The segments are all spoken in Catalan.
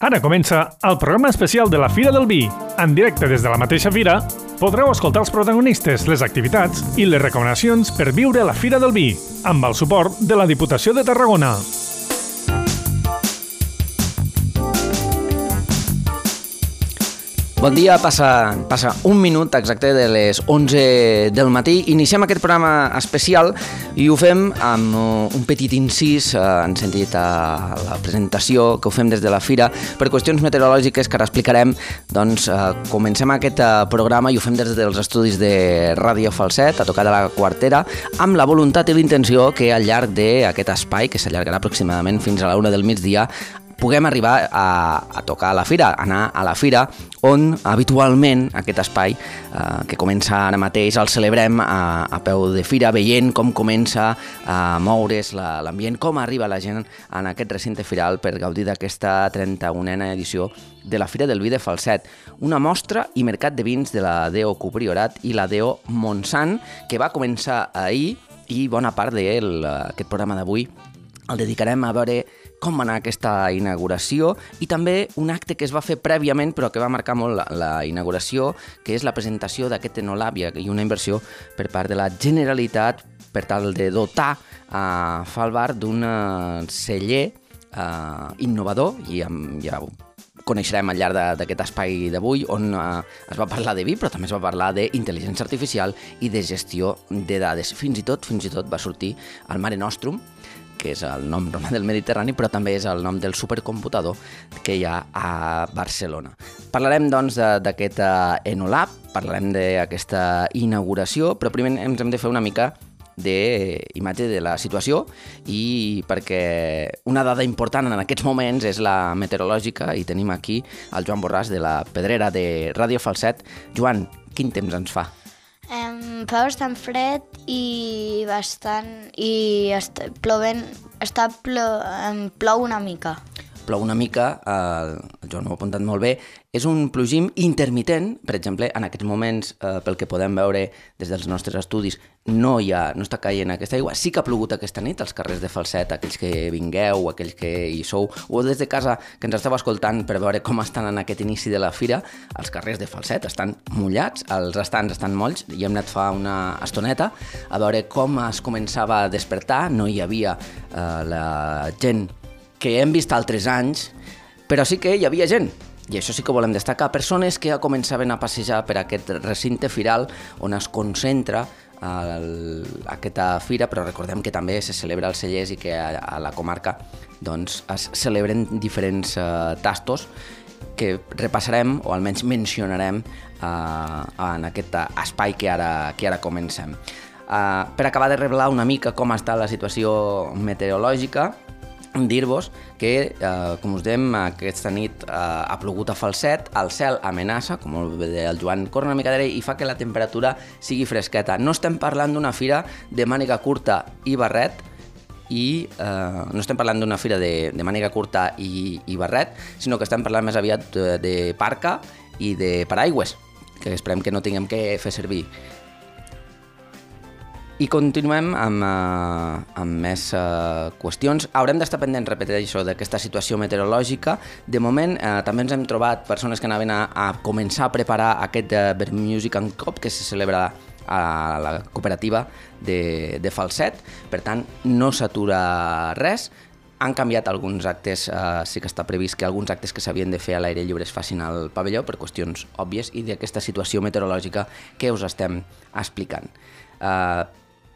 Ara comença el programa especial de la Fira del Vi. En directe des de la mateixa fira, podreu escoltar els protagonistes, les activitats i les recomanacions per viure la Fira del Vi, amb el suport de la Diputació de Tarragona. Bon dia, passa un minut exacte de les 11 del matí. Iniciem aquest programa especial i ho fem amb un petit incís, en sentit a la presentació que ho fem des de la Fira. Per qüestions meteorològiques que ara explicarem, doncs comencem aquest programa i ho fem des dels estudis de Ràdio Falset, a tocar de la Quartera, amb la voluntat i l'intenció que al llarg d'aquest espai, que s'allargarà aproximadament fins a la 1 del migdia, puguem arribar a tocar a la Fira, anar a la Fira, on habitualment aquest espai que comença ara mateix el celebrem a peu de fira, veient com comença a moure's l'ambient, com arriba la gent en aquest recinte firal per gaudir d'aquesta 31a edició de la Fira del Vi de Falset, una mostra i mercat de vins de la DO Copriorat i la DO Montsant, que va començar ahir, i bona part d'aquest programa d'avui el dedicarem a veure com va anar aquesta inauguració i també un acte que es va fer prèviament però que va marcar molt la inauguració, que és la presentació d'aquest enolab i una inversió per part de la Generalitat per tal de dotar a Falbar d'un celler innovador, i ja ho coneixerem al llarg d'aquest espai d'avui, on es va parlar de vi, però també es va parlar d'intel·ligència artificial i de gestió de dades. Fins i tot va sortir el Mare Nostrum, que és el nom del Mediterrani, però també és el nom del supercomputador que hi ha a Barcelona. Parlarem, doncs, d'aquest Enolab, parlarem d'aquesta inauguració, però primer ens hem de fer una mica d'imatge de la situació, i perquè una dada important en aquests moments és la meteorològica, i tenim aquí el Joan Borràs de la Pedrera de Ràdio Falset. Joan, quin temps ens fa? Fa bastant fred i plou una mica. Plou una mica, el Joan ho ha apuntat molt bé, és un plogim intermitent. Per exemple, en aquests moments, pel que podem veure des dels nostres estudis, no està caient aquesta aigua. Sí que ha plogut aquesta nit als carrers de Falset, aquells que vingueu, aquells que hi sou, o des de casa que ens esteu escoltant per veure com estan en aquest inici de la fira. Els carrers de Falset estan mullats, els estants estan molls, i hem anat fa una estoneta a veure com es començava a despertar. No hi havia la gent que hem vist altres anys, però sí que hi havia gent, i això sí que volem destacar, persones que ja començaven a passejar per aquest recinte firal on es concentra aquesta fira, però recordem que també se celebra als cellers i que a la comarca doncs, es celebren diferents tastos que repassarem, o almenys mencionarem en aquest espai que ara comencem. Per acabar de revelar una mica com està la situació meteorològica, dir-vos que, com us dèiem, aquesta nit ha plogut a Falset, el cel amenaça, com molt bé el Joan, corre una mica d'aire i fa que la temperatura sigui fresqueta. No estem parlant d'una fira de màniga curta i barret, no estem parlant d'una fira de màniga curta i barret, sinó que estem parlant més aviat de parca i de paraigües, que esperem que no tinguem que fer servir. I continuem amb més qüestions. Haurem d'estar pendents, repeteixo, d'aquesta situació meteorològica. De moment, també ens hem trobat persones que anaven a començar a preparar aquest Verb Music and Cop, que se celebra a la cooperativa de Falset. Per tant, no s'atura res. Han canviat alguns actes, sí que està previst que alguns actes que s'havien de fer a l'aire lliure es facin al pavelló per qüestions òbvies i d'aquesta situació meteorològica que us estem explicant.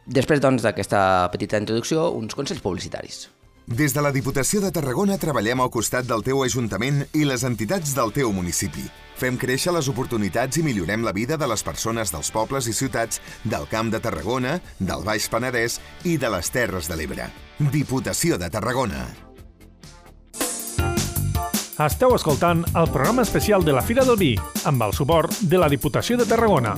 Després, doncs, d'aquesta petita introducció, uns consells publicitaris. Des de la Diputació de Tarragona treballem al costat del teu Ajuntament i les entitats del teu municipi. Fem créixer les oportunitats i millorem la vida de les persones dels pobles i ciutats del Camp de Tarragona, del Baix Penedès i de les Terres de l'Ebre. Diputació de Tarragona. Esteu escoltant el programa especial de la Fira del Vi, amb el suport de la Diputació de Tarragona.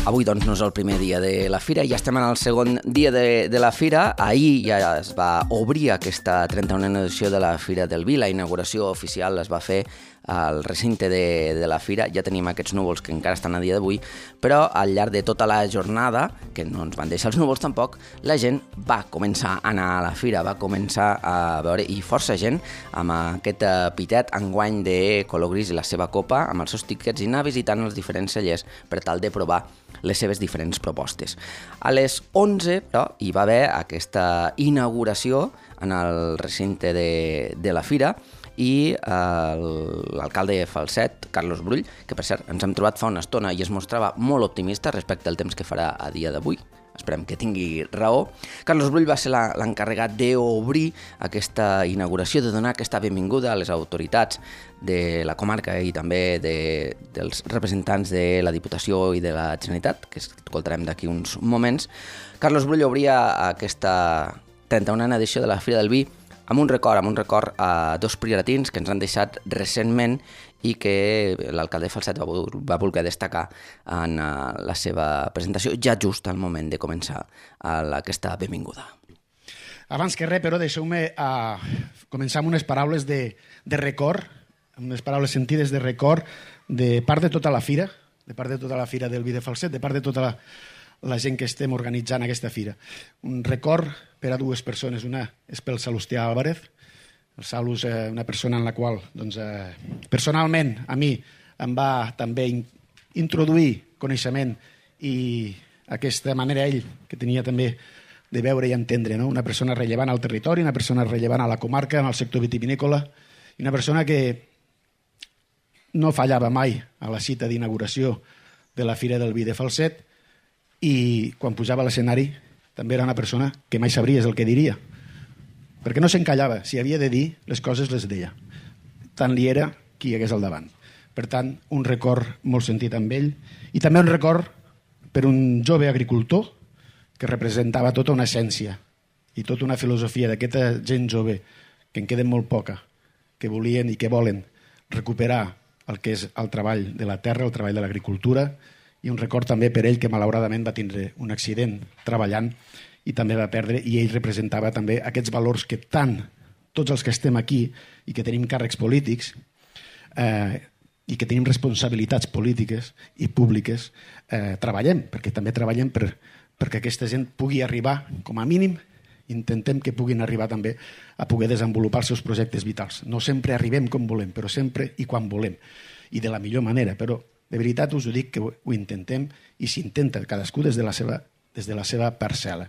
Avui, doncs, no és el primer dia de la fira, ja estem en el segon dia de la fira. Ahir ja es va obrir aquesta 31a edició de la Fira del Vi. La inauguració oficial es va fer al recinte de la fira. Ja tenim aquests núvols que encara estan a dia d'avui, però al llarg de tota la jornada, que no ens van deixar els núvols tampoc, la gent va començar a anar a la fira, va començar a veure, i força gent, amb aquest pitet enguany de color gris i la seva copa, amb els seus tiquets, i anar visitant els diferents cellers per tal de provar les seves diferents propostes. A les 11, però, hi va haver aquesta inauguració en el recinte de la fira i l'alcalde de Falset, Carlos Brull, que per cert ens hem trobat fa una estona i es mostrava molt optimista respecte al temps que farà a dia d'avui. Esperem que tingui raó. Carlos Brull va ser l'encarregat d'obrir aquesta inauguració, de donar aquesta benvinguda a les autoritats de la comarca i també dels representants de la Diputació i de la Generalitat, que escoltarem d'aquí uns moments. Carlos Brull obria aquesta 31a edició de la Fira del Vi amb un record a dos prioratins que ens han deixat recentment i que l'alcalde de Falset va voler destacar en la seva presentació ja just al moment de començar aquesta benvinguda. Abans que res, però, deixeu-me començar amb unes paraules de record, amb unes paraules sentides de record de part de tota la fira, del Vi de Falset, de part de tota la gent que estem organitzant aquesta fira. Un record per a dues persones. Una és pel Salustià Álvarez. El Salu és una persona en la qual, personalment, a mi em va també introduir coneixement i aquesta manera ell, que tenia també de veure i entendre, no? Una persona rellevant al territori, una persona rellevant a la comarca, en el sector vitivinícola, i una persona que no fallava mai a la cita d'inauguració de la Fira del Vi de Falset, i quan pujava a l'escenari també era una persona que mai sabries el que diria, perquè no s'encallava. Si havia de dir, les coses les deia. Tant li era qui hi hagués al davant. Per tant, un record molt sentit amb ell, i també un record per un jove agricultor que representava tota una essència i tota una filosofia d'aquesta gent jove, que en queden molt poca, que volien i que volen recuperar el que és el treball de la terra, el treball de l'agricultura, i un record també per ell que malauradament va tindre un accident treballant i també va perdre, i ell representava també aquests valors que tant tots els que estem aquí i que tenim càrrecs polítics i que tenim responsabilitats polítiques i públiques treballem, perquè també treballem perquè aquesta gent pugui arribar, com a mínim intentem que puguin arribar també a poder desenvolupar els seus projectes vitals. No sempre arribem com volem, però sempre i quan volem, i de la millor manera, però de veritat us ho dic que ho intentem, i s'intenta cadascú des de la seva parcel·la.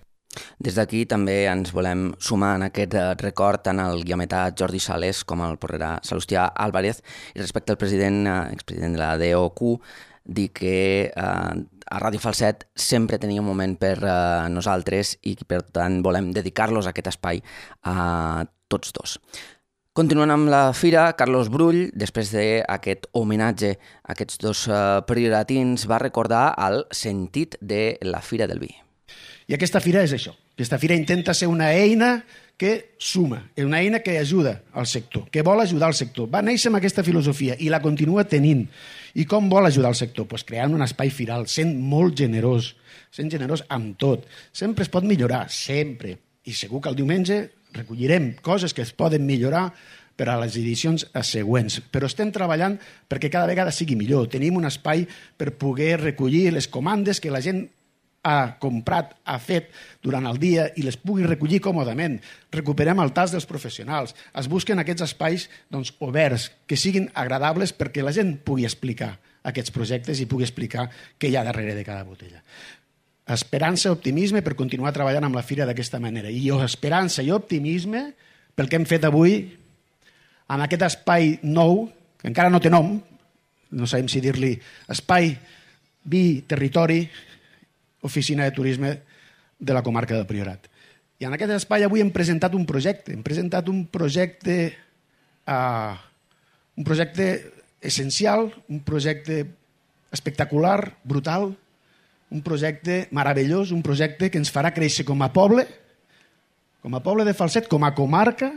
Des d'aquí també ens volem sumar en aquest record tant al guiometà Jordi Sales com al porrerà Salustià Álvarez, i respecte al expresident de la DOQ, dir que a Ràdio Falset sempre tenia un moment per nosaltres i per tant volem dedicar-los a aquest espai a tots dos. Continuant amb la fira, Carlos Brull, després d'aquest homenatge a aquests dos prioratins, va recordar el sentit de la Fira del Vi. I aquesta fira és això. Aquesta fira intenta ser una eina que suma, una eina que ajuda al sector, que vol ajudar al sector. Va néixer amb aquesta filosofia i la continua tenint. I com vol ajudar al sector? Pues creant un espai firal, sent molt generós amb tot. Sempre es pot millorar, sempre. I segur que el diumenge recollirem coses que es poden millorar per a les edicions següents, però estem treballant perquè cada vegada sigui millor. Tenim un espai per poder recollir les comandes que la gent ha comprat, ha fet durant el dia i les pugui recollir còmodament. Recuperem el tas dels professionals. Es busquen aquests espais oberts, que siguin agradables perquè la gent pugui explicar aquests projectes i pugui explicar què hi ha darrere de cada botella. Esperança, optimisme per continuar treballant amb la fira d'aquesta manera. I esperança i optimisme pel que hem fet avui en aquest espai nou, que encara no té nom, no sabem si dir-li espai, vi, territori, oficina de turisme de la comarca del Priorat. I en aquest espai avui hem presentat un projecte. Hem presentat un projecte essencial, un projecte espectacular, brutal, un projecte meravellós, un projecte que ens farà créixer com a poble de Falset, com a comarca,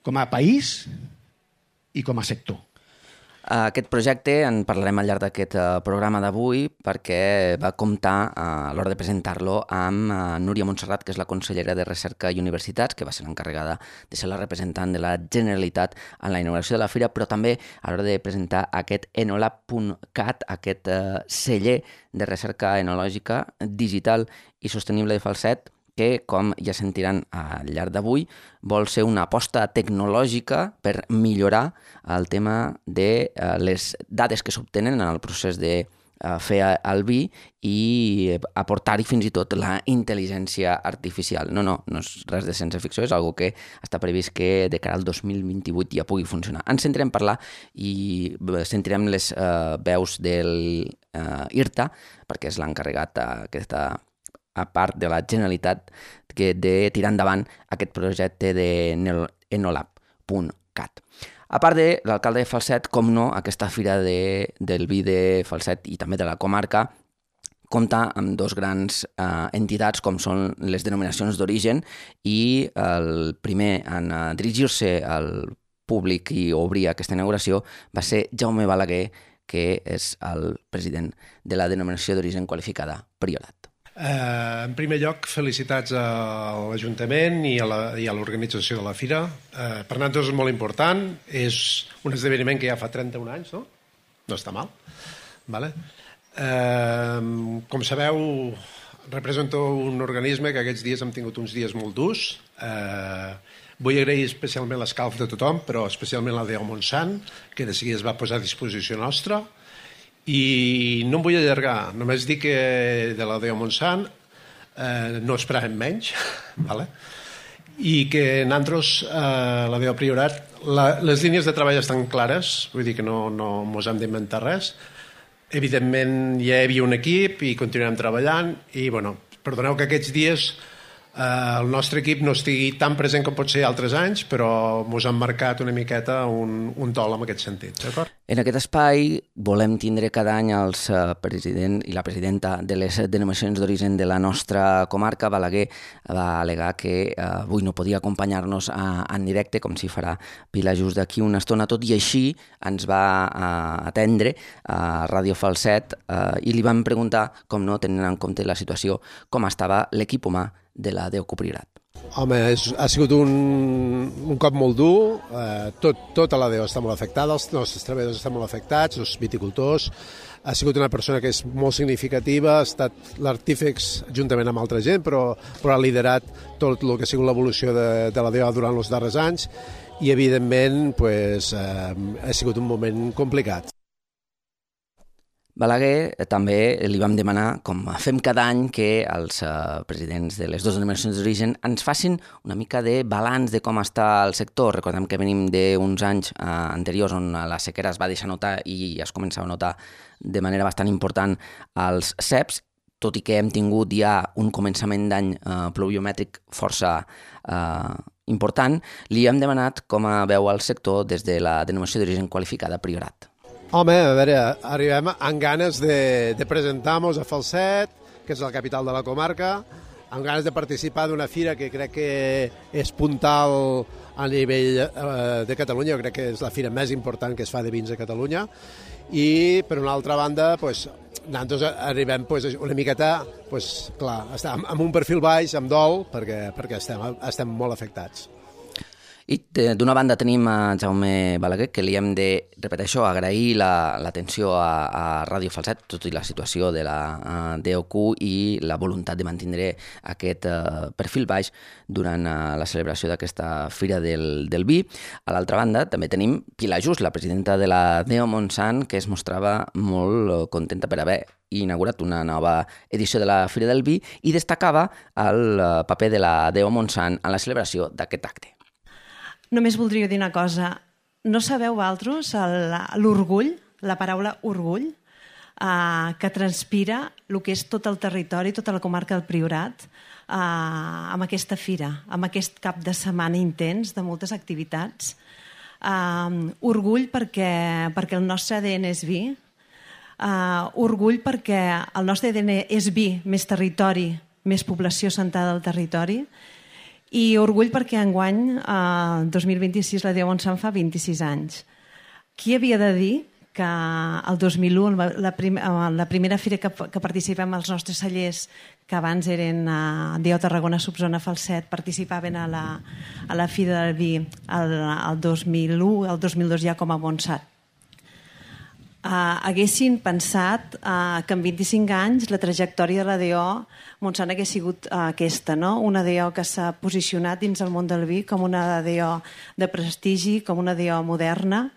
com a país i com a sector. Aquest projecte en parlarem al llarg d'aquest programa d'avui perquè va comptar a l'hora de presentar-lo amb Núria Montserrat, que és la consellera de Recerca i Universitats, que va ser l'encarregada de ser la representant de la Generalitat en la inauguració de la fira, però també a l'hora de presentar aquest enolab.cat, aquest celler de recerca enològica digital i sostenible de Falset, que, com ja sentiran al llarg d'avui, vol ser una aposta tecnològica per millorar el tema de les dades que s'obtenen en el procés de fer el vi i aportar-hi fins i tot la intel·ligència artificial. No és res de ciència ficció, és una que està previst que de cara al 2028 ja pugui funcionar. Ens sentirem parlar i sentirem les veus del IRTA, perquè és l'encarregat d'aquesta a part de la Generalitat de tirar endavant aquest projecte de enolab.cat. A part de l'alcalde de Falset, com no, aquesta fira del vi de Falset i també de la comarca compta amb dos grans entitats com són les denominacions d'origen i el primer en dirigir-se al públic i obrir aquesta inauguració va ser Jaume Balaguer, que és el president de la denominació d'origen qualificada Priorat. En primer lloc, felicitats a l'Ajuntament i a l'organització de la fira. Per nosaltres és molt important, és un esdeveniment que ja fa 31 anys, no? No està mal. Vale? Com sabeu, represento un organisme que aquests dies hem tingut uns dies molt durs. Vull agrair especialment l'escalf de tothom, però especialment la Déu Montsant, que de seguida es va posar a disposició nostra. I no em vull allargar, només dic que de la Déu Montsant no esperàvem menys, vale? I que nosaltres, la Déu Priorat, les línies de treball estan clares, vull dir que no ens hem d'inventar res. Evidentment ja hi havia un equip i continuem treballant i, bueno, perdoneu que aquests dies el nostre equip no estigui tan present com pot ser altres anys, però ens han marcat una miqueta un tol en aquest sentit, d'acord? En aquest espai volem tindre cada any els president i la presidenta de les denominacions d'origen de la nostra comarca. Balaguer va al·legar que avui no podia acompanyar-nos en directe, com si farà Pilar just d'aquí una estona. Tot i així ens va atendre a Ràdio Falset i li vam preguntar, com no, tenint en compte la situació, com estava l'equip humà de la Déu Priorat. Home, ha sigut un cop molt dur, tota la Déu està molt afectada, els nostres treballadors estan molt afectats, els viticultors. Ha sigut una persona que és molt significativa, ha estat l'artífex juntament amb altra gent, però ha liderat tot el que ha sigut l'evolució de la Déu durant els darrers anys i, evidentment, ha sigut un moment complicat. Balaguer també li vam demanar, com fem cada any, que els presidents de les dues denominacions d'origen ens facin una mica de balanç de com està el sector. Recordem que venim d'uns anys anteriors on la sequera es va deixar notar i es començava a notar de manera bastant important als ceps, tot i que hem tingut ja un començament d'any pluviomètric força important. Li hem demanat com veu el sector des de la denominació d'origen qualificada Priorat. Home, a veure, arribem amb ganes de presentar-nos a Falset, que és la capital de la comarca, amb ganes de participar d'una fira que crec que és puntal a nivell de Catalunya. Jo crec que és la fira més important que es fa de vins a Catalunya. I, per una altra banda, nosaltres arribem una miqueta, clar, amb un perfil baix, amb dol, perquè estem molt afectats. I d'una banda tenim a Jaume Balaguer, que li hem de, repeteixo, agrair l'atenció a Ràdio Falset, tot i la situació de la DOQ i la voluntat de mantenir aquest perfil baix durant la celebració d'aquesta Fira del Vi. A l'altra banda també tenim Pilar Just, la presidenta de la Déu Montsant, que es mostrava molt contenta per haver inaugurat una nova edició de la Fira del Vi i destacava el paper de la Déu Montsant en la celebració d'aquest acte. Només voldria dir una cosa. No sabeu vosaltres l'orgull, la paraula orgull, que transpira el que és tot el territori, tota la comarca del Priorat, amb aquesta fira, amb aquest cap de setmana intens de moltes activitats. Orgull perquè el nostre ADN és vi, orgull perquè el nostre ADN és vi, més territori, més població assentada al territori, i orgull perquè enguany, 2026, la Déu Montsant fa 26 anys. Qui havia de dir que el 2001, la primera fira que participem els nostres cellers, que abans eren DO Tarragona, Subzona Falset, participaven a la Fira del Vi el 2001, el 2002 ja com a Montsant. Haguessin pensat que en 25 anys la trajectòria de la DO Montsant hagués sigut aquesta, no? Una DO que s'ha posicionat dins el món del vi com una DO de prestigi, com una DO moderna,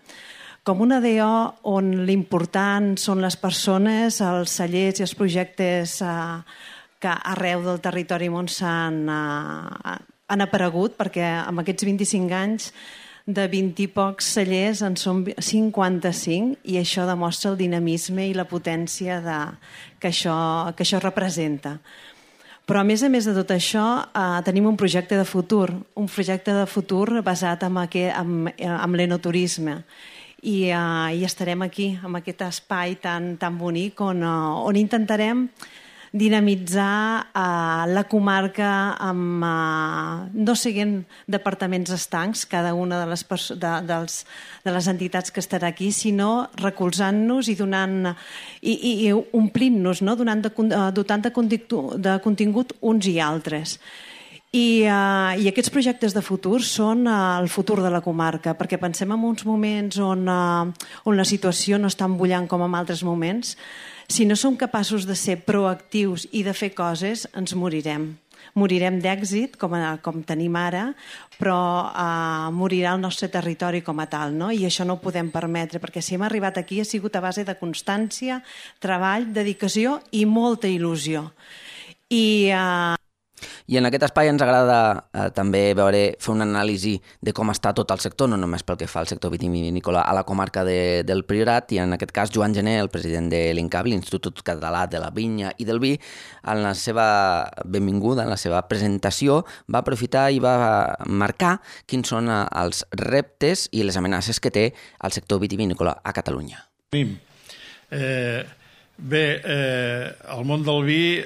com una DO on l'important són les persones, els cellers i els projectes que arreu del territori Montsant han aparegut, perquè en aquests 25 anys de 20 i pocs cellers en són 55 i això demostra el dinamisme i la potència que això representa. Però a més de tot això tenim un projecte de futur basat en l'enoturisme. I estarem aquí, en aquest espai tan bonic on intentarem dinamitzar la comarca no siguent departaments estancs, cada una de les entitats que estarà aquí, sinó recolzant-nos i omplint-nos, no? Dotant de contingut uns i altres. I aquests projectes de futur són el futur de la comarca, perquè pensem en uns moments on la situació no està embullant com en altres moments. Si no som capaços de ser proactius i de fer coses, ens morirem. Morirem d'èxit, com tenim ara, però morirà el nostre territori com a tal, no? I això no ho podem permetre, perquè si hem arribat aquí ha sigut a base de constància, treball, dedicació i molta il·lusió. I en aquest espai ens agrada també fer una anàlisi de com està tot el sector, no només pel que fa al sector vitivinícola a la comarca del Priorat, i en aquest cas Joan Gené, el president de l'INCAV, l'Institut Català de la Vinya i del Vi, en la seva benvinguda, en la seva presentació, va aprofitar i va marcar quins són els reptes i les amenaces que té el sector vitivinícola a Catalunya. Bé, el món del vi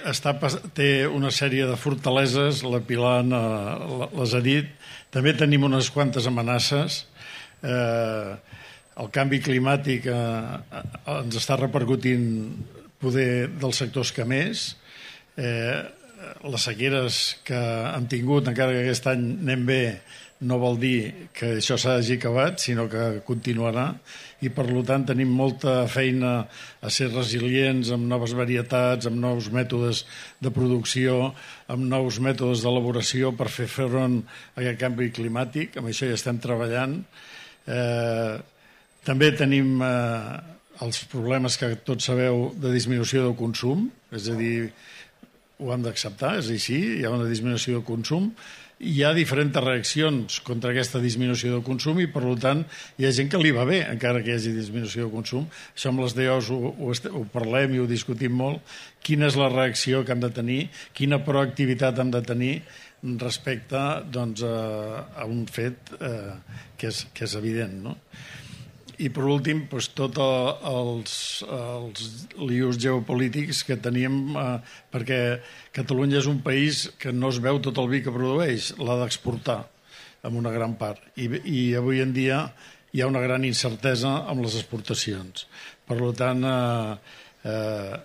té una sèrie de fortaleses, la Pilar les ha dit, també tenim unes quantes amenaces. El canvi climàtic ens està repercutint poder dels sectors que més. Les sequeres que hem tingut, encara que aquest any anem bé, no vol dir que això s'hagi acabat, sinó que continuarà, i per tant tenim molta feina a ser resilients amb noves varietats, amb nous mètodes de producció, amb nous mètodes d'elaboració per fer front a aquest canvi climàtic. Amb això ja estem treballant. També tenim els problemes que tots sabeu de disminució del consum, és a dir, ho hem d'acceptar, és així, hi ha una disminució del consum. Hi ha diferents reaccions contra aquesta disminució del consum i, per tant, hi ha gent que li va bé, encara que hi hagi disminució del consum. Això amb les DOs ho parlem i ho discutim molt. Quina és la reacció que hem de tenir, quina proactivitat hem de tenir respecte a un fet que és evident, no? I, per últim, tots els lius geopolítics que teníem, perquè Catalunya és un país que no es veu tot el vi que produeix, l'ha d'exportar en una gran part. I avui en dia hi ha una gran incertesa amb les exportacions. Per tant,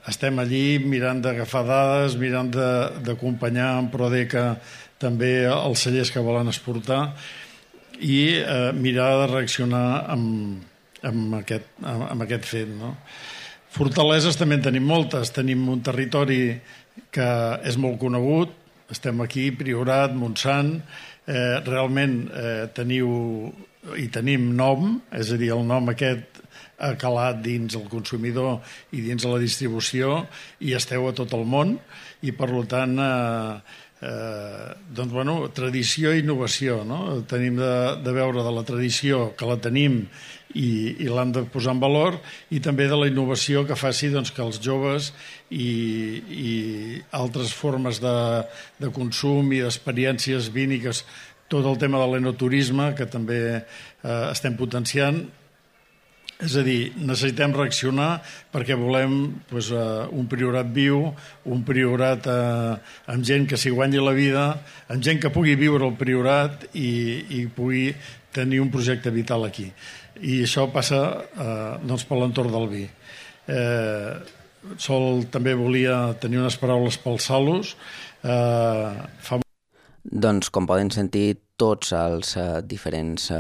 estem allí mirant d'agafar dades, mirant d'acompanyar en Prodeca també els cellers que volen exportar i mirar de reaccionar amb aquest fet, no? Fortaleses també en tenim moltes. Tenim un territori que és molt conegut, estem aquí, Priorat, Montsant, realment tenim nom, és a dir, el nom aquest ha calat dins el consumidor i dins la distribució i esteu a tot el món i, per tant, tradició i innovació, no? Tenim de veure de la tradició que la tenim i l'hem de posar en valor i també de la innovació que faci que els joves i altres formes de consum i d'experiències víniques, tot el tema de l'enoturisme que també estem potenciant. És a dir, necessitem reaccionar perquè volem un Priorat viu, un Priorat amb gent que s'hi guanyi la vida, amb gent que pugui viure al Priorat i pugui tenir un projecte vital aquí. I això passa doncs, per l'entorn del vi. Sol també volia tenir unes paraules pels Salus. Doncs, com poden sentir, tots els diferents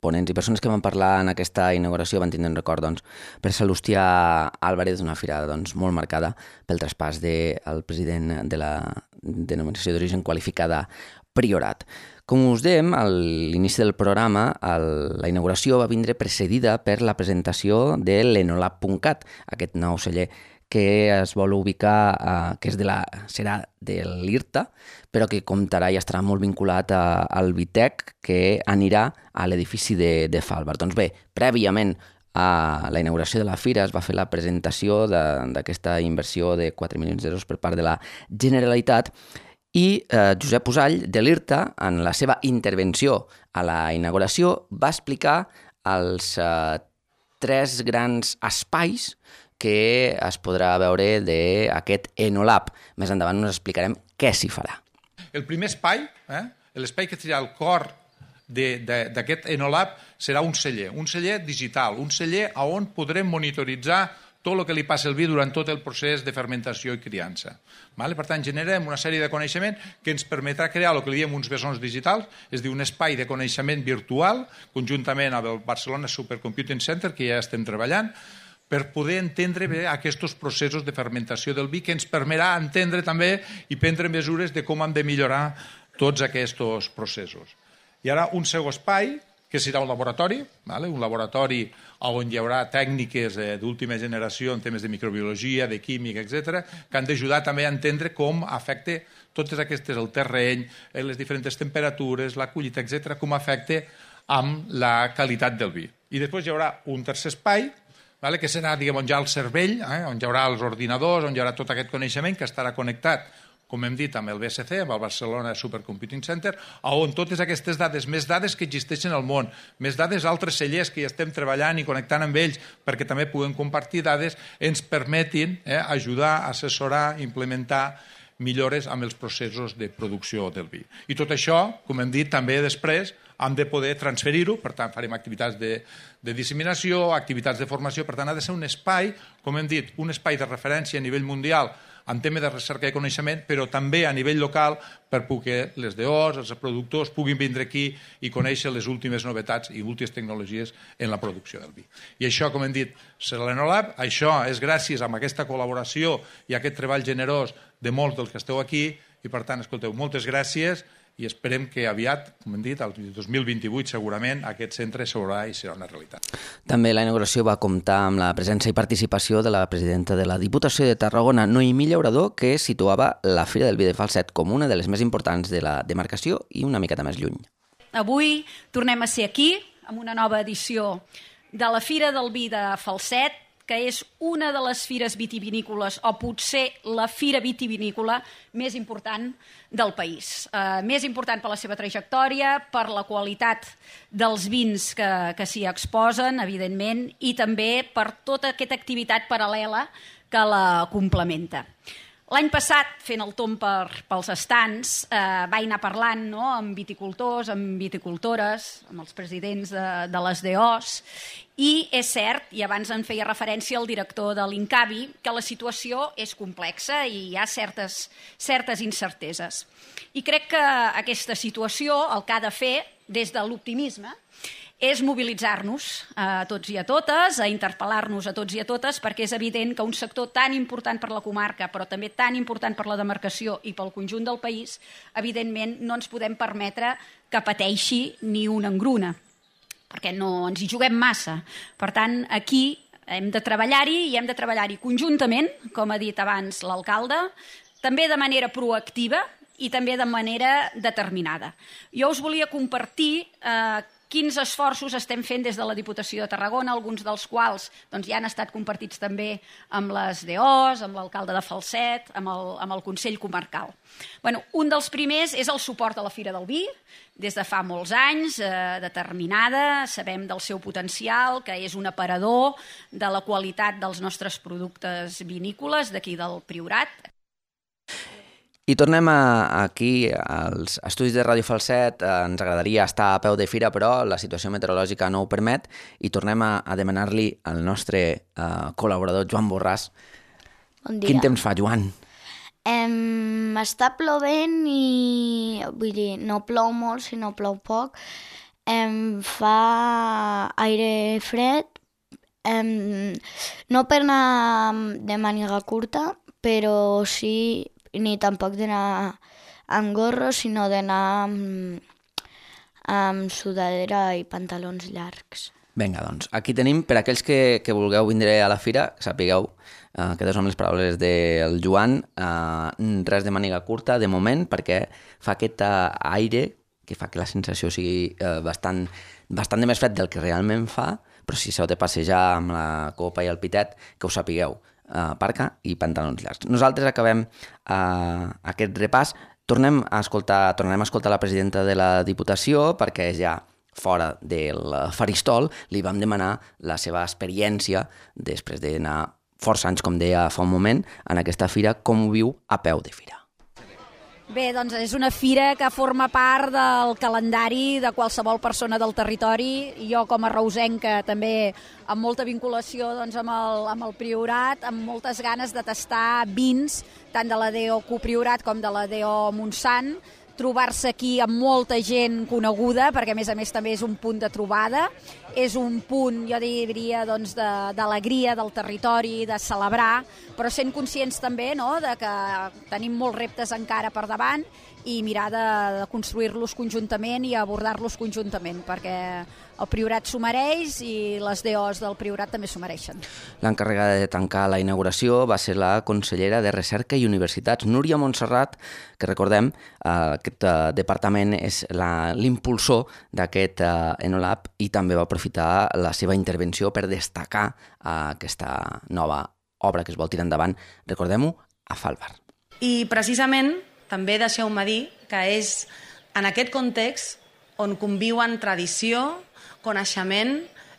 ponents i persones que van parlar en aquesta inauguració van tindre un record per Salustià Álvarez, una fira molt marcada pel traspàs del president de la denominació d'origen qualificada Priorat. Com us dèiem, a l'inici del programa, la inauguració va vindre precedida per la presentació de l'Enolab.cat, aquest nou celler que es vol ubicar, que serà de l'IRTA, però que comptarà i estarà molt vinculat al Vitec, que anirà a l'edifici de Falbar. Doncs bé, prèviament a la inauguració de la fira es va fer la presentació d'aquesta inversió de 4 milions d'euros per part de la Generalitat i Josep Usall, de l'IRTA, en la seva intervenció a la inauguració, va explicar els 3 grans espais que es podrà veure d'aquest Enolab. Més endavant us explicarem què s'hi farà. El primer espai, l'espai que serà el cor d'aquest Enolab, serà un celler digital, un celler on podrem monitoritzar tot el que li passa al vi durant tot el procés de fermentació i criança. Per tant, generem una sèrie de coneixement que ens permetrà crear el que li diem uns bessons digitals, és a dir, un espai de coneixement virtual, conjuntament amb el Barcelona Supercomputing Center, que ja estem treballant, per poder entendre bé aquests processos de fermentació del vi, que ens permetrà entendre també i prendre mesures de com hem de millorar tots aquests processos. I ara un segon espai, que serà un laboratori on hi haurà tècniques d'última generació en temes de microbiologia, de química, etc., que han d'ajudar també a entendre com afecta totes aquestes, el terreny, les diferents temperatures, la collita, etc., com afecta amb la qualitat del vi. I després hi haurà un tercer espai, que serà, on hi ha el cervell, on hi haurà els ordinadors, on hi haurà tot aquest coneixement que estarà connectat, com hem dit, amb el BSC, amb el Barcelona Supercomputing Center, on totes aquestes dades, més dades que existeixen al món, més dades d'altres cellers que hi estem treballant i connectant amb ells perquè també puguem compartir dades, ens permetin ajudar, assessorar, implementar millores amb els processos de producció del vi. I tot això, com hem dit, també després hem de poder transferir-ho, per tant farem activitats de disseminació, activitats de formació, per tant ha de ser un espai, com hem dit, un espai de referència a nivell mundial en tema de recerca i coneixement, però també a nivell local per poder les DOs, els productors, puguin vindre aquí i conèixer les últimes novetats i últimes tecnologies en la producció del vi. I això, com hem dit, serà l'Enolab. Això és gràcies a aquesta col·laboració i a aquest treball generós de molts dels que esteu aquí i, per tant, escolteu, moltes gràcies i esperem que aviat, com hem dit, el 2028 segurament aquest centre s'haurà i serà una realitat. També la inauguració va comptar amb la presència i participació de la presidenta de la Diputació de Tarragona, Noemí Llaurador, que situava la Fira del Vi de Falset com una de les més importants de la demarcació i una miqueta més lluny. Avui tornem a ser aquí amb una nova edició de la Fira del Vi de Falset, que és una de les fires vitivinícoles, o potser la fira vitivinícola més important del país. Més important per la seva trajectòria, per la qualitat dels vins que s'hi exposen, evidentment, i també per tota aquesta activitat paral·lela que la complementa. L'any passat, fent el tomb pels estants, vaig anar parlant amb viticultors, amb viticultores, amb els presidents de les DOs, i és cert, i abans en feia referència el director de l'INCAVI, que la situació és complexa i hi ha certes incerteses. I crec que aquesta situació el que ha de fer, des de l'optimisme, és mobilitzar-nos a tots i a totes, a interpel·lar-nos a tots i a totes, perquè és evident que un sector tan important per la comarca, però també tan important per la demarcació i pel conjunt del país, evidentment no ens podem permetre que pateixi ni una engruna, perquè no ens hi juguem massa. Per tant, aquí hem de treballar-hi i hem de treballar-hi conjuntament, com ha dit abans l'alcalde, també de manera proactiva i també de manera determinada. Jo us volia compartir quins esforços estem fent des de la Diputació de Tarragona, alguns dels quals ja han estat compartits també amb les DOs, amb l'alcalde de Falset, amb el Consell Comarcal. Un dels primers és el suport a la Fira del Vi, des de fa molts anys, determinada, sabem del seu potencial, que és un aparador de la qualitat dels nostres productes vinícoles d'aquí del Priorat. I tornem aquí als estudis de Ràdio Falset. Ens agradaria estar a peu de fira, però la situació meteorològica no ho permet, i tornem a demanar-li al nostre col·laborador Joan Borràs. Bon dia. Quin temps fa, Joan? Està plovent i... Vull dir, no plou molt, sinó plou poc. Fa aire fred. No per anar de màniga curta, però sí, ni tampoc d'anar amb gorro, sinó d'anar amb sudadera i pantalons llargs. Vinga, doncs, aquí tenim, per aquells que vulgueu vindre a la fira, sapigueu, aquestes són les paraules del Joan, res de màniga curta, de moment, perquè fa aquest aire que fa que la sensació sigui bastant de més fred del que realment fa, però si s'heu de passejar amb la copa i el pitet, que ho sapigueu, parca i pantalons llargs. Nosaltres acabem aquest repàs. Tornem a escoltar la presidenta de la Diputació, perquè ja fora del faristol li vam demanar la seva experiència després d'anar força anys, com deia fa un moment, en aquesta fira, com ho viu a peu de fira. Bé, doncs és una fira que forma part del calendari de qualsevol persona del territori. Jo, com a reusenca, també amb molta vinculació doncs, amb el Priorat, amb moltes ganes de tastar vins, tant de la DO Copriorat com de la DO Montsant, trobar-se aquí amb molta gent coneguda, perquè a més també és un punt de trobada, és un punt, jo diria, doncs, d'alegria del territori, de celebrar, però sent conscients també, no?, de que tenim molts reptes encara per davant i mirar de construir-los conjuntament i abordar-los conjuntament, perquè el Priorat s'ho mereix i les DOs del Priorat també s'ho mereixen. L'encarregada de tancar la inauguració va ser la consellera de Recerca i Universitats, Núria Montserrat, que recordem, aquest departament és l'impulsor d'aquest Enolab i també va aprofitar la seva intervenció per destacar aquesta nova obra que es vol tirar endavant, recordem-ho, a Falvar. I precisament també deixeu-me dir que és en aquest context on conviuen tradició, coneixement,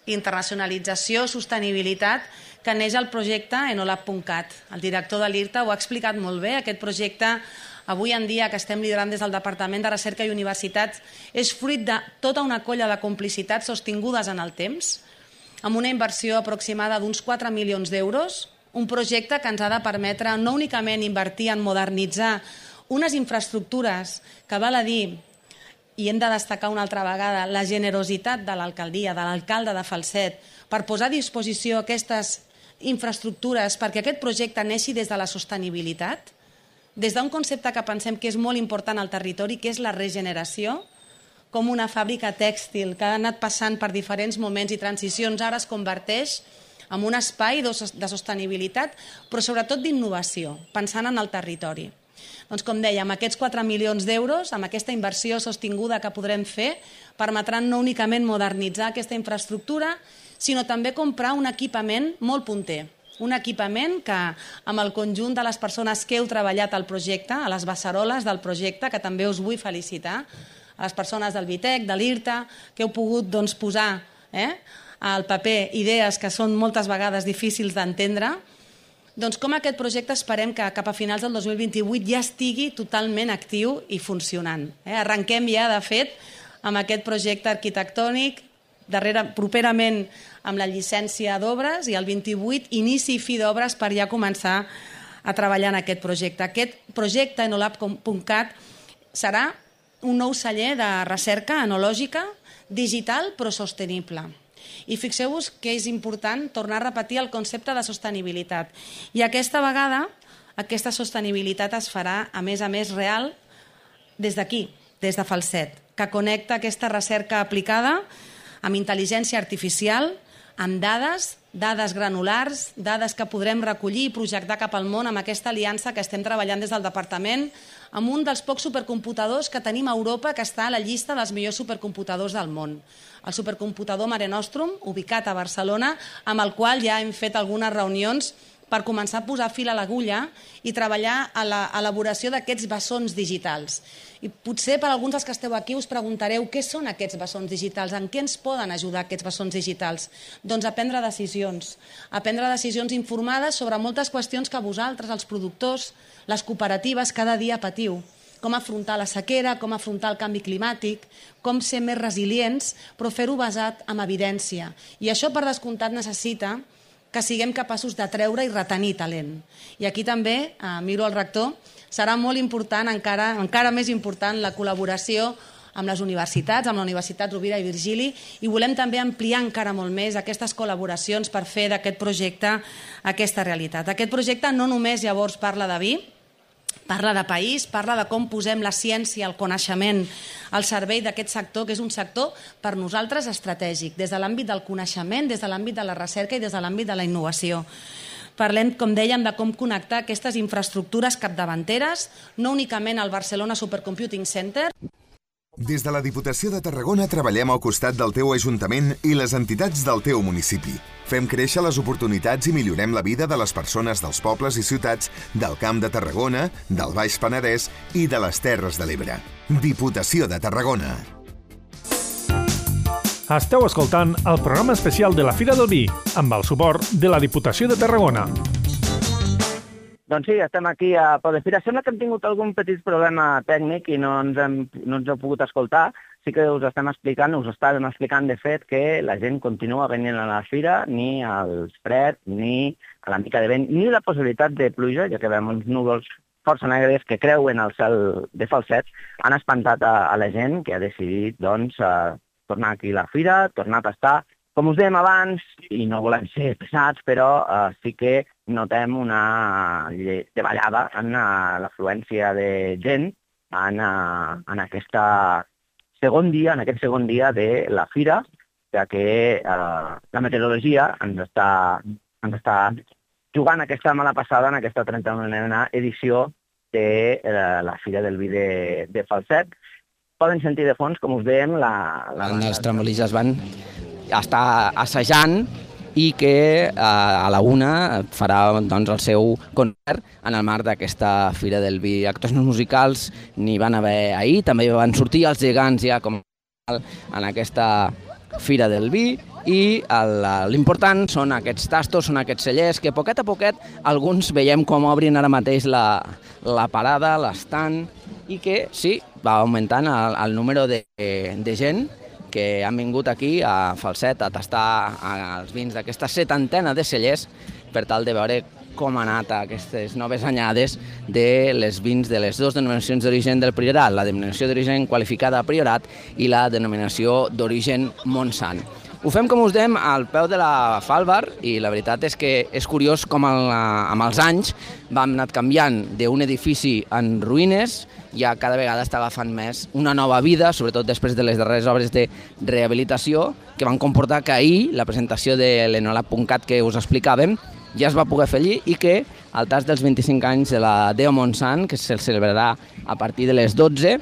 internacionalització, sostenibilitat, que neix el projecte enolab.cat. El director de l'IRTA ho ha explicat molt bé. Aquest projecte, avui en dia, que estem liderant des del Departament de Recerca i Universitats, és fruit de tota una colla de complicitats sostingudes en el temps, amb una inversió aproximada d'uns 4 milions d'euros, un projecte que ens ha de permetre no únicament invertir en modernitzar unes infraestructures que, val a dir, i hem de destacar una altra vegada, la generositat de l'alcaldia, de l'alcalde de Falset, per posar a disposició aquestes infraestructures perquè aquest projecte neixi des de la sostenibilitat, des d'un concepte que pensem que és molt important al territori, que és la regeneració, com una fàbrica tèxtil que ha anat passant per diferents moments i transicions, ara es converteix en un espai de sostenibilitat, però sobretot d'innovació, pensant en el territori. Doncs, com deia, amb aquests 4 milions d'euros, amb aquesta inversió sostinguda que podrem fer, permetran no únicament modernitzar aquesta infraestructura, sinó també comprar un equipament molt punter. Un equipament que, amb el conjunt de les persones que heu treballat al projecte, a les beceroles del projecte, que també us vull felicitar, a les persones del Vitec, de l'IRTA, que heu pogut posar al paper idees que són moltes vegades difícils d'entendre, doncs com aquest projecte esperem que cap a finals del 2028 ja estigui totalment actiu i funcionant. Arrenquem ja, de fet, amb aquest projecte arquitectònic, properament amb la llicència d'obres, i el 28 inici i fi d'obres per ja començar a treballar en aquest projecte. Aquest projecte enolab.cat serà un nou celler de recerca enològica, digital però sostenible. I fixeu-vos que és important tornar a repetir el concepte de sostenibilitat. I aquesta vegada, aquesta sostenibilitat es farà, a més, real des d'aquí, des de Falset, que connecta aquesta recerca aplicada amb intel·ligència artificial, amb dades granulars, dades que podrem recollir i projectar cap al món amb aquesta aliança que estem treballant des del departament, amb un dels pocs supercomputadors que tenim a Europa que està a la llista dels millors supercomputadors del món. El supercomputador Mare Nostrum, ubicat a Barcelona, amb el qual ja hem fet algunes reunions per començar a posar fil a l'agulla i treballar a l'elaboració d'aquests bessons digitals. I potser per alguns dels que esteu aquí us preguntareu què són aquests bessons digitals, en què ens poden ajudar aquests bessons digitals? Doncs a prendre decisions informades sobre moltes qüestions que vosaltres, els productors, les cooperatives, cada dia patiu. Com afrontar la sequera, com afrontar el canvi climàtic, com ser més resilients, però fer-ho basat en evidència. I això, per descomptat, necessita que siguem capaços d'atreure i retenir talent. I aquí també, miro el rector, serà molt important, encara més important, la col·laboració amb les universitats, amb la Universitat Rovira i Virgili, i volem també ampliar encara molt més aquestes col·laboracions per fer d'aquest projecte aquesta realitat. Aquest projecte no només llavors parla de vi, parla de país, parla de com posem la ciència, el coneixement al servei d'aquest sector, que és un sector per nosaltres estratègic, des de l'àmbit del coneixement, des de l'àmbit de la recerca i des de l'àmbit de la innovació. Parlem, com dèiem, de com connectar aquestes infraestructures capdavanteres, no únicament al Barcelona Supercomputing Center. Des de la Diputació de Tarragona treballem al costat del teu Ajuntament i les entitats del teu municipi. Fem créixer les oportunitats i millorem la vida de les persones dels pobles i ciutats del Camp de Tarragona, del Baix Penedès i de les Terres de l'Ebre. Diputació de Tarragona. Esteu escoltant el programa especial de la Fira del Vi, amb el suport de la Diputació de Tarragona. Doncs sí, estem aquí a Podefira. Sembla que hem tingut algun petit problema tècnic i no ens heu pogut escoltar. Sí que us estàvem explicant, de fet, que la gent continua venint a la fira, ni al fred, ni a la mica de vent, ni la possibilitat de pluja, ja que veiem uns núvols força negres que creuen el cel de Falset, han espantat a la gent que ha decidit tornar aquí a la fira, tornar a tastar. Com us dèiem abans, i no volem ser pesats, però sí que notem una davallada en l'afluència de gent en aquest segon dia de la fira, ja que la meteorologia ens està jugant aquesta mala passada en aquesta 31a edició de la Fira del Vi de Falset. Poden sentir de fons, com us dèiem, els tremolins es van estar assajant i que a la una farà el seu concert en el marc d'aquesta Fira del Vi. Actuacions musicals n'hi van haver ahir, també van sortir els gegants ja com en aquesta Fira del Vi, i l'important són aquests tastos, són aquests cellers que poquet a poquet alguns veiem com obrin ara mateix la parada, l'estant, i que sí, va augmentant el número de gent que han vingut aquí a Falset a tastar els vins d'aquesta 70ena de cellers per tal de veure com han anat aquestes noves anyades de les vins de les dues denominacions d'origen del Priorat, la denominació d'origen qualificada Priorat i la denominació d'origen Montsant. Ho fem, com us dèiem, al peu de la Falvar, i la veritat és que és curiós com amb els anys vam anat canviant d'un edifici en ruïnes, ja cada vegada està agafant més una nova vida, sobretot després de les darreres obres de rehabilitació, que van comportar que ahir la presentació de l'Enolab.cat que us explicàvem ja es va poder fer allí, i que al tas dels 25 anys de la Deo Montsant, que se celebrarà a partir de les 12,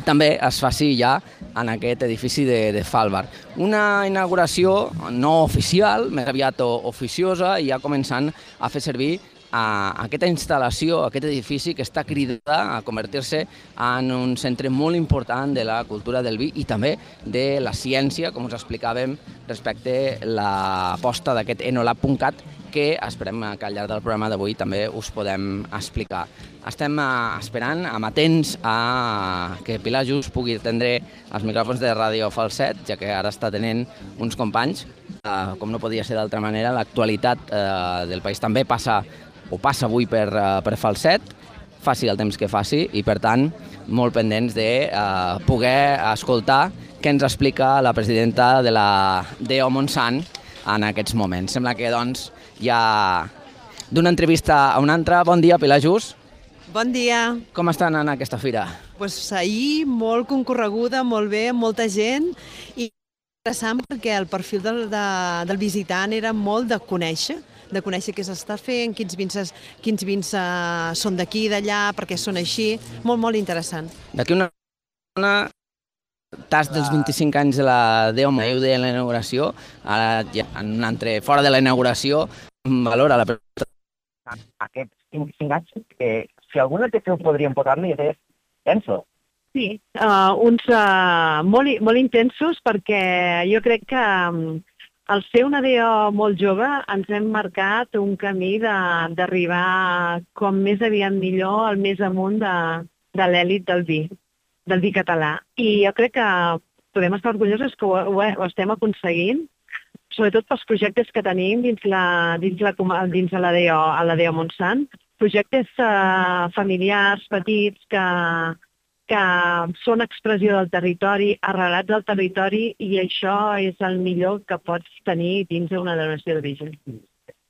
també es faci ja en aquest edifici de Falvar. Una inauguració no oficial, més aviat oficiosa, i ja començant a fer servir aquesta instal·lació, aquest edifici que està cridada a convertir-se en un centre molt important de la cultura del vi i també de la ciència, com us explicàvem, respecte a l'aposta d'aquest Enolab.cat, que esperem que al llarg del programa d'avui també us podem explicar. Estem esperant, amatents a que Pilar Just pugui atendre els micròfons de Ràdio Falset, ja que ara està tenint uns companys. Com no podia ser d'altra manera, l'actualitat del país també passa avui per Falset, faci el temps que faci, i per tant molt pendents de poder escoltar què ens explica la presidenta de la Deo Montsant en aquests moments. Sembla que doncs ja d'una entrevista a una altra. Bon dia, Pilar Just. Bon dia. Com està anant aquesta fira? Ahir molt concorreguda, molt bé, molta gent, i interessant perquè el perfil del visitant era molt de conèixer què s'està fent, quins vins són d'aquí i d'allà, perquè són així, molt interessant. D'aquí una tas dels 25 anys de la Deo Montsant de la inauguració, ara ja en un altre, fora de la inauguració, valora la pregunta aquests 5 anys, que si alguna té que ho podríem posar-li és tenso. Sí, uns molt intensos, perquè jo crec que al ser una DO molt jove ens hem marcat un camí d'arribar com més aviat millor al més amunt de l'èlit del vi català. I jo crec que podem estar orgullosos que ho estem aconseguint, sobretot pels projectes que tenim dins la DO Montsant, projectes familiars, petits, que són expressió del territori, arrelats al territori, i això és el millor que pots tenir dins d'una denominació d'origen.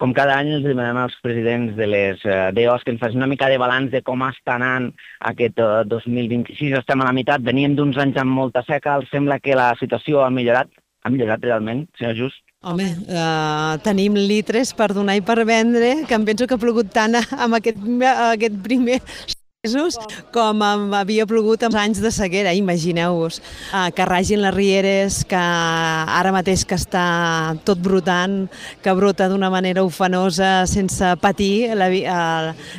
Com cada any els demanem als presidents de les DOs que ens facin una mica de balanç de com està anant aquest 2026. Estem a la meitat, veníem d'uns anys amb molta seca, sembla que la situació ha millorat. Ha millorat realment, senyor Just? Home, tenim litres per donar i per vendre, que em penso que ha plogut tant amb aquest primer mesos com havia plogut en anys de sequera, imagineu-vos. Que ragin les rieres, que ara mateix que està tot brotant, que brota d'una manera ufanosa sense patir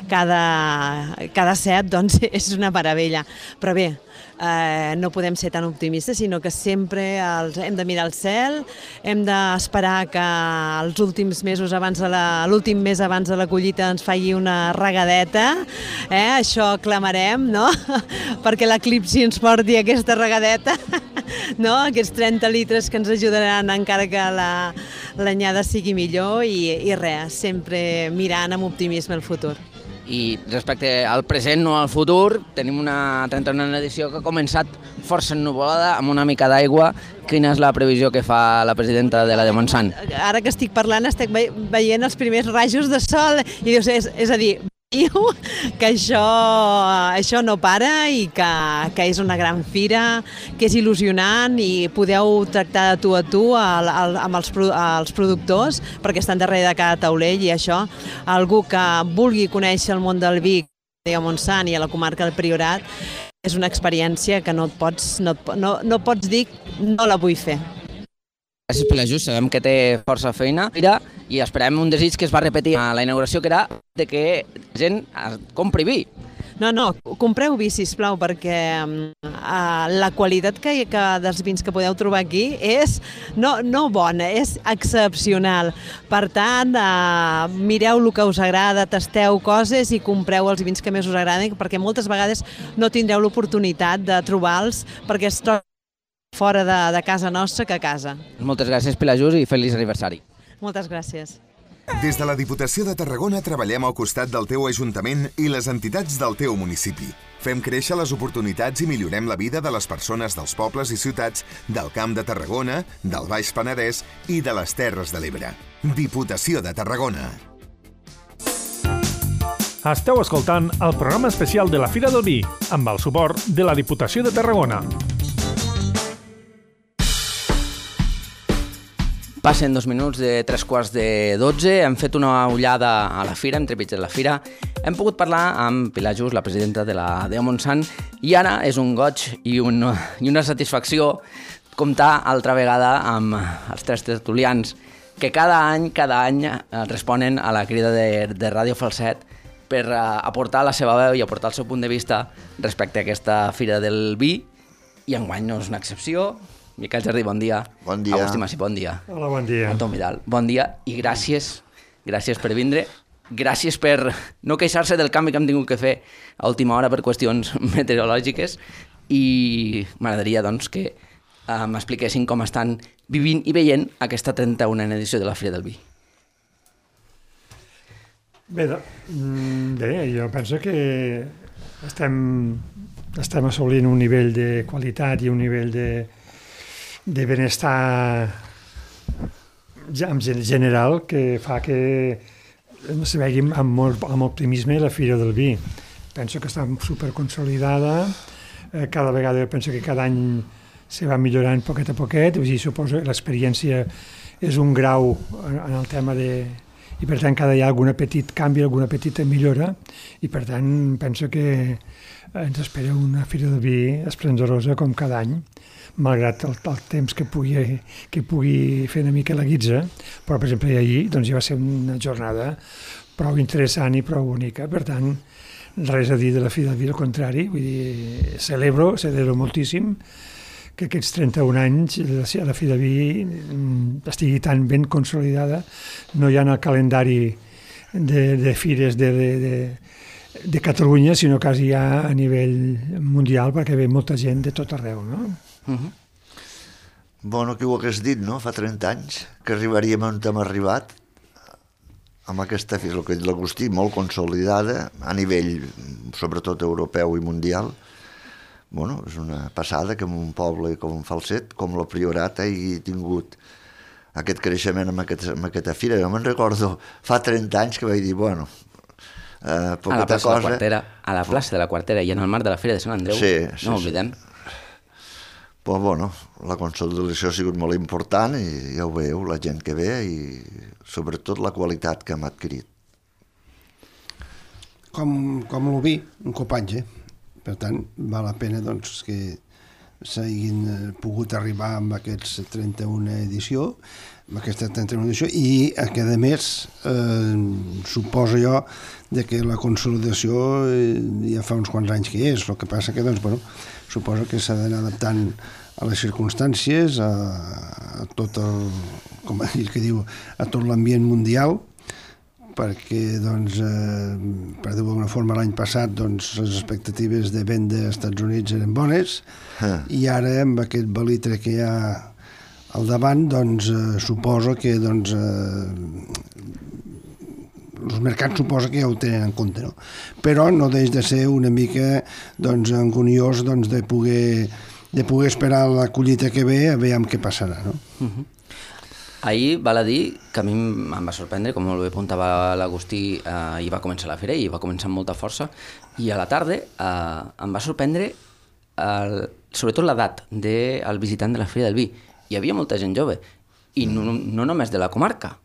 cada set, doncs és una meravella. Però bé, no podem ser tan optimistes, sinó que sempre hem de mirar al cel, hem d'esperar que els últims mesos l'últim mes abans de la collita ens faci una regadeta, això clamarem, no? Perquè l'eclipsi ens porti aquesta regadeta, no? Aquests 30 litres que ens ajudaran encara que l'anyada sigui millor i res, sempre mirant amb optimisme el futur. I respecte al present, no al futur, tenim una 39a edició que ha començat força ennuvolada, amb una mica d'aigua. Quina és la previsió que fa la presidenta de la de Montsant? Ara que estic parlant, estic veient els primers rajos de sol, i dius, és a dir, que això no para i que és una gran fira, que és il·lusionant, i podeu tractar de tu a tu amb els productors, perquè estan darrere de cada taulell, i això, algú que vulgui conèixer el món del vi a Montsant i a la comarca del Priorat, és una experiència que no pots dir no la vull fer. Gràcies per l'ajust, sabem que té força feina i esperem un desig que es va repetir a la inauguració, que era de que la gent compri vi. No, compreu vi, sisplau, perquè la qualitat dels vins que podeu trobar aquí és no bona, és excepcional. Per tant, mireu el que us agrada, tasteu coses i compreu els vins que més us agraden, perquè moltes vegades no tindreu l'oportunitat de trobar-los perquè es troben fora de casa nostra que a casa. Moltes gràcies per l'ajust i feliç aniversari. Moltes gràcies. Des de la Diputació de Tarragona treballem al costat del teu Ajuntament i les entitats del teu municipi. Fem créixer les oportunitats i millorem la vida de les persones dels pobles i ciutats del Camp de Tarragona, del Baix Penedès i de les Terres de l'Ebre. Diputació de Tarragona. Esteu escoltant el programa especial de la Fira del Vi, amb el suport de la Diputació de Tarragona. Passen 2 minuts de 3:45, hem fet una ullada a la fira, entremig de la fira, hem pogut parlar amb Pilar Just, la presidenta de la DO Montsant, i ara és un goig i una satisfacció comptar altra vegada amb els 3 tertulians que cada any responen a la crida de Ràdio Falset per aportar la seva veu i aportar el seu punt de vista respecte a aquesta Fira del Vi, i enguany no és una excepció. Miquel Jardí, bon dia. Bon dia. Agustí Massi, bon dia. Hola, bon dia. Anton Vidal, bon dia i gràcies per vindre. Gràcies per no queixar-se del canvi que hem tingut que fer a última hora per qüestions meteorològiques, i m'agradaria doncs, que m'expliquessin com estan vivint i veient aquesta 31a edició de la Fira del Vi. Bé, jo penso que estem assolint un nivell de qualitat i un nivell de benestar en general que fa que se vegi amb optimisme la Fira del Vi. Penso que està superconsolidada, cada vegada penso que cada any se va millorant poquet a poquet, suposo que l'experiència és un grau en el tema i per tant cada dia hi ha algun petit canvi, alguna petita millora, i per tant penso que ens espera una Fira del Vi esplendorosa com cada any, malgrat el temps que pugui fer una mica la guitza, però per exemple ahir ja va ser una jornada prou interessant i prou bonica. Per tant, res a dir de la Fira del Vi, al contrari, vull dir, celebro moltíssim que aquests 31 anys la Fira del Vi estigui tan ben consolidada, no ja en el calendari de fires de Catalunya, sinó quasi ja a nivell mundial, perquè ve molta gent de tot arreu, no? Bueno, qui ho hagués dit, no?, fa 30 anys, que arribaríem on hem arribat, amb aquesta fira, el que l'Agustí, molt consolidada, a nivell, sobretot europeu i mundial. Bueno, és una passada que en un poble com Falset, com el Priorat, hagi tingut aquest creixement amb aquesta fira. Jo me'n recordo fa 30 anys que vaig dir, bueno, poqueta cosa... A la plaça de la Quartera i en el marc de la Fira de Sant Andreu, no ho oblidem. Però, bueno, la consolidació ha sigut molt important i ja ho veieu, la gent que ve i sobretot la qualitat que hem adquirit. Com el vi, un copatge. Per tant, val la pena doncs, que s'hagin pogut arribar amb aquests 31 edició, amb aquesta 31 edició, i que a més suposo jo que la consolidació ja fa uns quants anys que és, el que passa que doncs, bueno, suposo que s'ha d'anar adaptant a les circumstàncies, a tot el, com ell que diu, a tot l'ambient mundial, perquè, doncs, per dir-ho d'alguna forma, l'any passat doncs, les expectatives de venda als Estats Units eren bones, i ara, amb aquest balitre que hi ha al davant, doncs, suposo que doncs, els mercats suposa que ja ho tenen en compte, no? Però no deix de ser una mica doncs, angoniós doncs, de poder esperar la collita que ve a veure què passarà, no? Ahir val a dir que a mi em va sorprendre, com molt bé apuntava l'Agustí, hi va començar la fira i va començar amb molta força, i a la tarda em va sorprendre sobretot l'edat del visitant de la Fira del Vi. Hi havia molta gent jove, i no només de la comarca,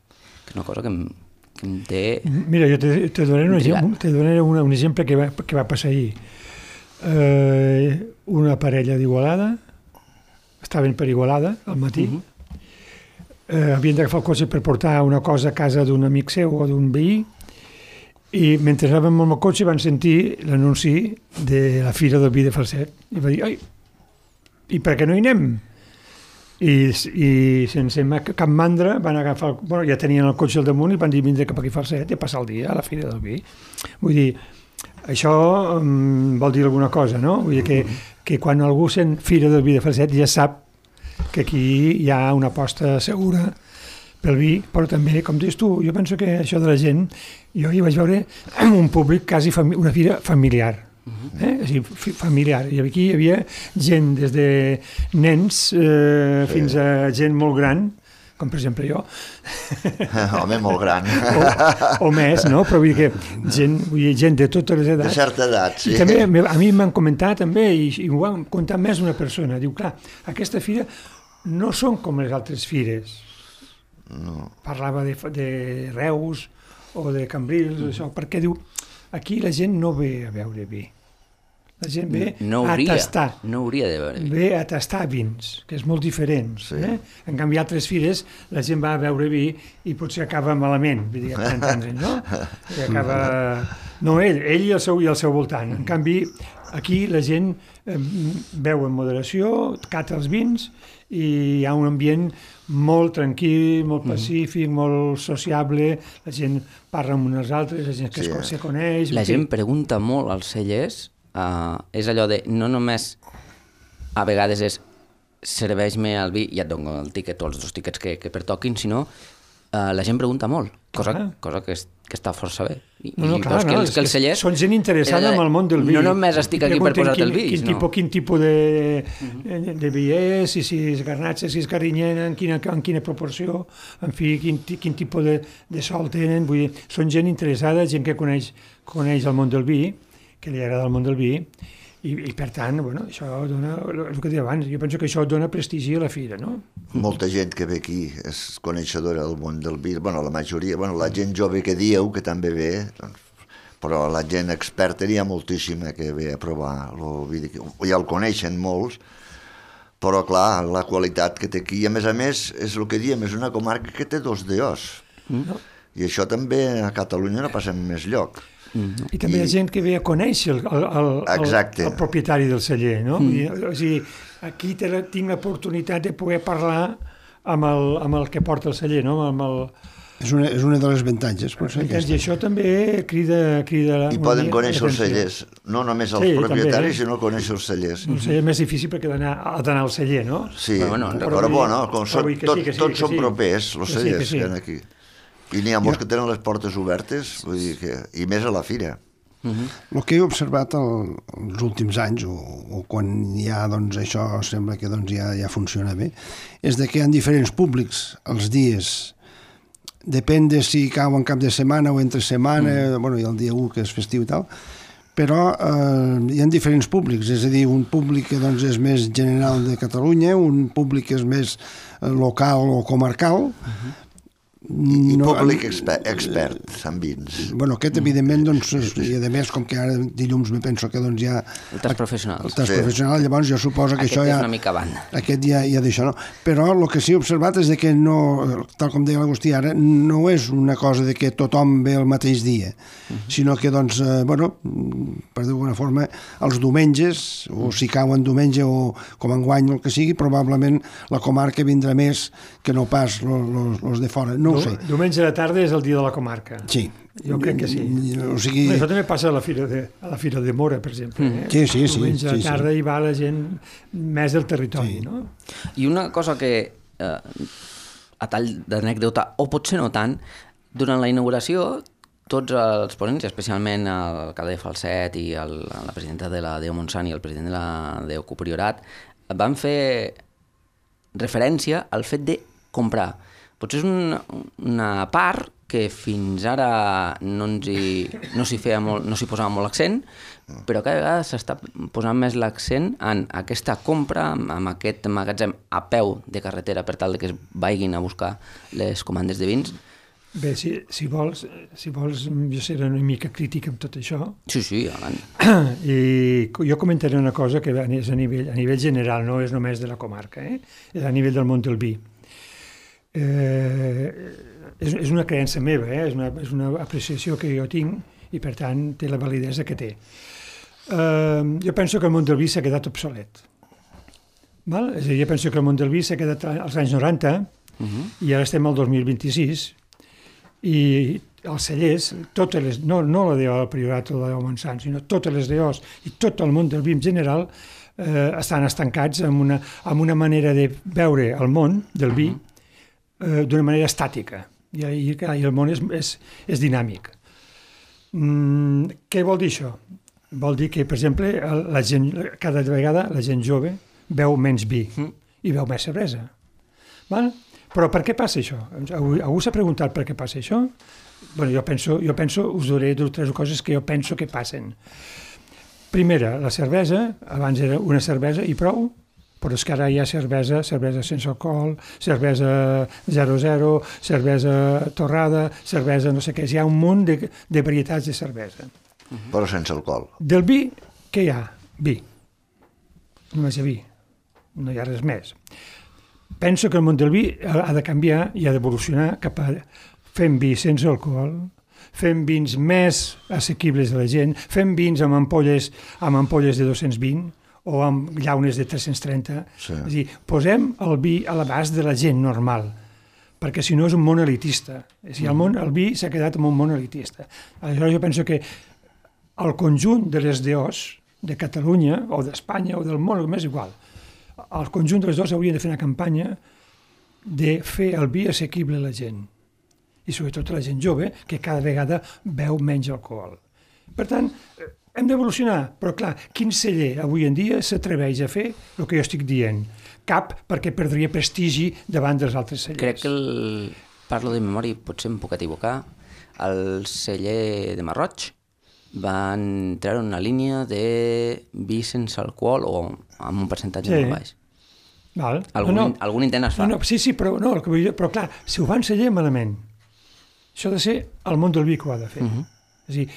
que és una cosa que em té... Mira, jo te donaré un exemple que va passar ahir. Una parella d'Igualada, estaven per Igualada al matí, havien d'agafar el cotxe per portar una cosa a casa d'un amic seu o d'un veí, i mentre anàvem amb el cotxe van sentir l'anunci de la Fira del Vi de Falset, i va dir, ai, i per què no hi anem? I sense cap mandra van agafar, bueno, ja tenien el cotxe al damunt i van dir vindre cap aquí a Falset i a passar el dia a la Fira del Vi. Vull dir, això vol dir alguna cosa, no? Vull dir que quan algú sent Fira del Vi de Falset ja sap que aquí hi ha una aposta segura pel vi, però també, com dius tu, jo penso que això de la gent, jo hi vaig veure un públic quasi una fira familiar, familiar, i aquí hi havia gent des de nens fins a gent molt gran, com per exemple jo. Home, molt gran. O més, no? Però vull dir que gent de totes les edats. De certa edat, sí. I també a mi m'han comentat també, i ho han comentat més d'una persona, diu, clar, aquesta fira no són com les altres fires. No. Parlava de Reus o de Cambrils, això, perquè diu, aquí la gent no ve a veure vi. La gent ve a tastar. No hauria de veure. Ve a tastar vins, que és molt diferent. Sí. En canvi, a altres fires la gent va a veure vi i potser acaba malament, vull dir, no? I acaba... No, ell i el seu voltant. En canvi, aquí la gent beu en moderació, cata els vins i hi ha un ambient molt tranquil, molt pacífic, molt sociable, la gent parla amb uns altres, la gent que se coneix... La gent pregunta molt als cellers. És allò de, no només a vegades és serveix-me el vi i et dono el tíquet o els 2 tíquets que pertoquin, sinó la gent pregunta molt, cosa que està força bé. Que els cellers... Són gent interessada en el món del vi. No només estic aquí per posar-te el vi. Quin tipus de vi és, si és garnatxa, si és carinyena, en quina proporció, en fi, quin tipus de sol tenen. Vull dir, són gent interessada, gent que coneix el món del vi, que li agrada el món del vi, i per tant, bueno, això dona, el que deia abans, jo penso que això dona prestigi a la fira, no? Molta gent que ve aquí és coneixedora del món del vi, bueno, la majoria, bueno, la gent jove que dieu, que també ve, doncs, però la gent experta n'hi ha moltíssima que ve a provar el vi, ja el coneixen molts, però clar, la qualitat que té aquí, i a més, és el que diem, és una comarca que té 2 DOs. I això també a Catalunya no passa en més lloc. I també hi ha gent que ve a conèixer el propietari del celler, no? O sigui, aquí tinc l'oportunitat de poder parlar amb el que porta el celler, no? És una de les avantatges. I això també crida... I poden conèixer els cellers, no només els propietaris, sinó conèixer els cellers. El celler és més difícil perquè ha d'anar al celler, no? Sí, però bueno, tots són propers, els cellers que hi ha aquí. I n'hi ha molts que tenen les portes obertes, i més a la fira. El que he observat els últims anys, o quan ja això sembla que ja funciona bé, és que hi ha diferents públics els dies. Depèn de si cau en cap de setmana o entre setmana, i el dia 1 que és festiu i tal, però hi ha diferents públics, és a dir, un públic que és més general de Catalunya, un públic que és més local o comarcal, i públic expert en vins. Bueno, aquest evidentment, i a més, com que ara dilluns me penso que hi ha... El tas professional. El tas professional, llavors jo suposo que això ja... Aquest és una mica banda. Aquest ja d'això, no? Però el que sí he observat és que no, tal com deia l'Agustí ara, no és una cosa de que tothom ve el mateix dia, sinó que, per dir d'alguna forma, els diumenges, o si cauen diumenge o com enguany el que sigui, probablement la comarca vindrà més que no pas els de fora. No ho sé. Diumenge de tarda és el dia de la comarca. Sí. Jo crec que sí. Això també passa a la Fira de Mora, per exemple. Sí. Diumenge de tarda hi va la gent més del territori, no? I una cosa que, a tall d'anècdota, o potser no tant, durant la inauguració, tots els ponents, especialment l'alcalde de Falset i la presidenta de la DEO Montsant i el president de la DEO Copriorat, van fer referència al fet de comprar. Potser és una part que fins ara no s'hi posava molt l'accent, però cada vegada s'està posant més l'accent en aquesta compra, amb aquest magatzem a peu de carretera per tal que es vagin a buscar les comandes de vins. Bé, si vols, jo seré una mica crític amb tot això. Sí, avant. I jo comentaré una cosa que és a nivell general, no és només de la comarca, és a nivell del món del vi. És una creença meva, és una apreciació que jo tinc i per tant té la validesa que té. Jo penso que el món del vi s'ha quedat obsolet. És a dir, jo penso que el món del vi s'ha quedat als anys 90 i ara estem al 2026 i els cellers, no la DEO del Priorat o la DEO Montsant, sinó totes les DEOs i tot el món del vi en general estan estancats amb una manera de veure el món del vi d'una manera estàtica i el món és dinàmic. Què vol dir això? Vol dir que, per exemple, cada vegada la gent jove beu menys vi i beu més cervesa. Però per què passa això? Algú s'ha preguntat per què passa això? Jo penso, us diré 2 o 3 coses que jo penso que passen. Primera, la cervesa, abans era una cervesa i prou, però és que ara hi ha cervesa sense alcohol, cervesa 0,0, cervesa torrada, cervesa no sé què, hi ha un munt de varietats de cervesa. Però sense alcohol. Del vi, què hi ha? Vi. Només hi ha vi, no hi ha res més. Penso que el món del vi ha de canviar i ha d'evolucionar cap a fem vi sense alcohol, fem vins més assequibles a la gent, fem vins amb ampolles de 220, o amb llaunes de 330. Sí. És a dir, posem el vi a l'abast de la gent normal, perquè si no és un món elitista. El vi s'ha quedat en un món elitista. Aleshores jo penso que el conjunt de les DEOs de Catalunya, o d'Espanya, o del món, m'és igual, el conjunt de les DEOs haurien de fer una campanya de fer el vi assequible a la gent, i sobretot a la gent jove, que cada vegada beu menys alcohol. Per tant, hem d'evolucionar, però clar, quin celler avui en dia s'atreveix a fer el que jo estic dient? Cap, perquè perdria prestigi davant dels altres cellers. Crec que parlo de memòria, potser em puc equivocar, el celler de Marroig van treure una línia de vi sense alcohol o amb un percentatge molt baix. Algun intent es fa. Sí, però clar, si ho van celler malament, això ha de ser el món del vi que ho ha de fer. És a dir,